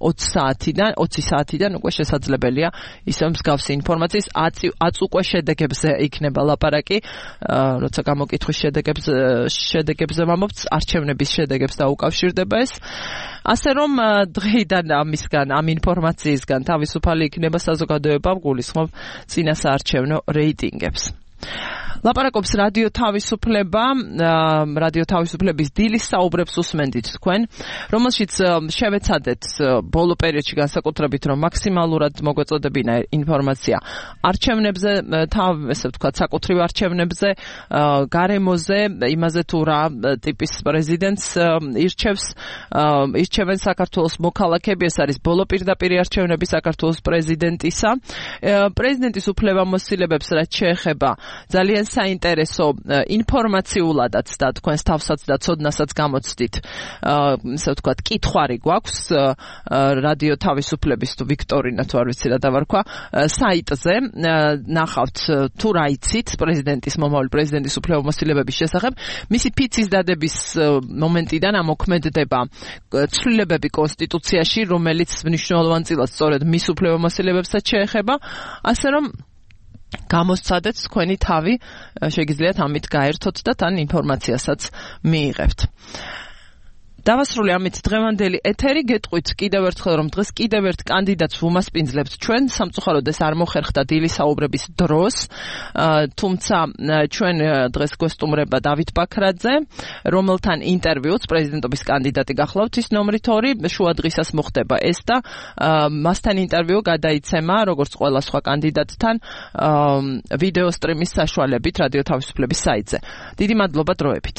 ოცი საათიდან, ოცი საათიდან უკვე შესაძლებელია ისე მსგავსი ინფორმაციის ათს უკვე შედეგებზე იქნება ლაპარაკი, როცა გამოკითხვის შედეგებზე შედეგებზე ვამბობთ, არჩევნების შედეგებს დაუკავშირდება ეს. ასე რომ დღეიდან ამისგან, ამ ინფორმაციისგან თავისუფალი იქნება საზოგადოება გულისხმობ წინა საარჩევნო რეიტინგებს. ლაპარაკობს რადიო თავისუფლება, რადიო თავისუფლების დილის საუბრებს უსმენდით თქვენ, რომელშიც შევეცადეთ ბოლო პერიოდში განსაკუთრებით, რომ მაქსიმალურად მოგვეწოდებინა ინფორმაცია არჩევნებზე, თავ ესე ვთქვათ, საკუთრივ არჩევნებზე, გარემოზე, იმაზე თუ რა ტიპის პრეზიდენტს ირჩევს, ირჩევენ საქართველოს მოქალაქეები, ეს არის ბოლო პირდაპირ არჩევნები საქართველოს პრეზიდენტისა. პრეზიდენტის უფლებამოსილებებს რაც შეეხება ძალიან საინტერესო ინფორმაციულადაც და თქვენს თავსაც და ცოდნასაც გამოცდით, ასე ვთქვათ, კითხვარი გვაქვს რადიო თავისუფლების თუ ვიქტორინა თუ არ ვიცი რა დავარქვა საიტზე, ნახავთ თუ რა იცით პრეზიდენტის მომავალი პრეზიდენტის უფლებამოსილებების შესახებ, მისი ფიცის დადების მომენტიდან ამოქმედდება ცვლილებები კონსტიტუციაში, რომელიც მნიშვნელოვანწილად სწორედ მის უფლებამოსილებებსაც შეეხება, ასე რომ გამოსცადეთ თქვენი თავი, შეგიძლიათ ამით გაერთოთ და თან ინფორმაციასაც მიიღებთ. დავასრულე ამით დღევანდელი ეთერი, გეტყვით კიდევ ერთხელ, რომ დღეს კიდევ ერთ კანდიდატს ვუმასპინძლებთ ჩვენ, სამწუხაროდ ეს არ მოხერხდა დილის საუბრების დროს, თუმცა ჩვენ დღეს გვესტუმრება დავით ბაქრაძე, რომელთან ინტერვიუც პრეზიდენტობის კანდიდატი გახლავთ, ის ნომრით ორი, შუა დღისას მოხდება ეს და მასთან ინტერვიუ გადაიცემა, როგორც ყველა სხვა კანდიდატთან, ვიდეო სტრიმის საშუალებით რადიო თავისუფლების საიტზე. დიდი მადლობა დროებით.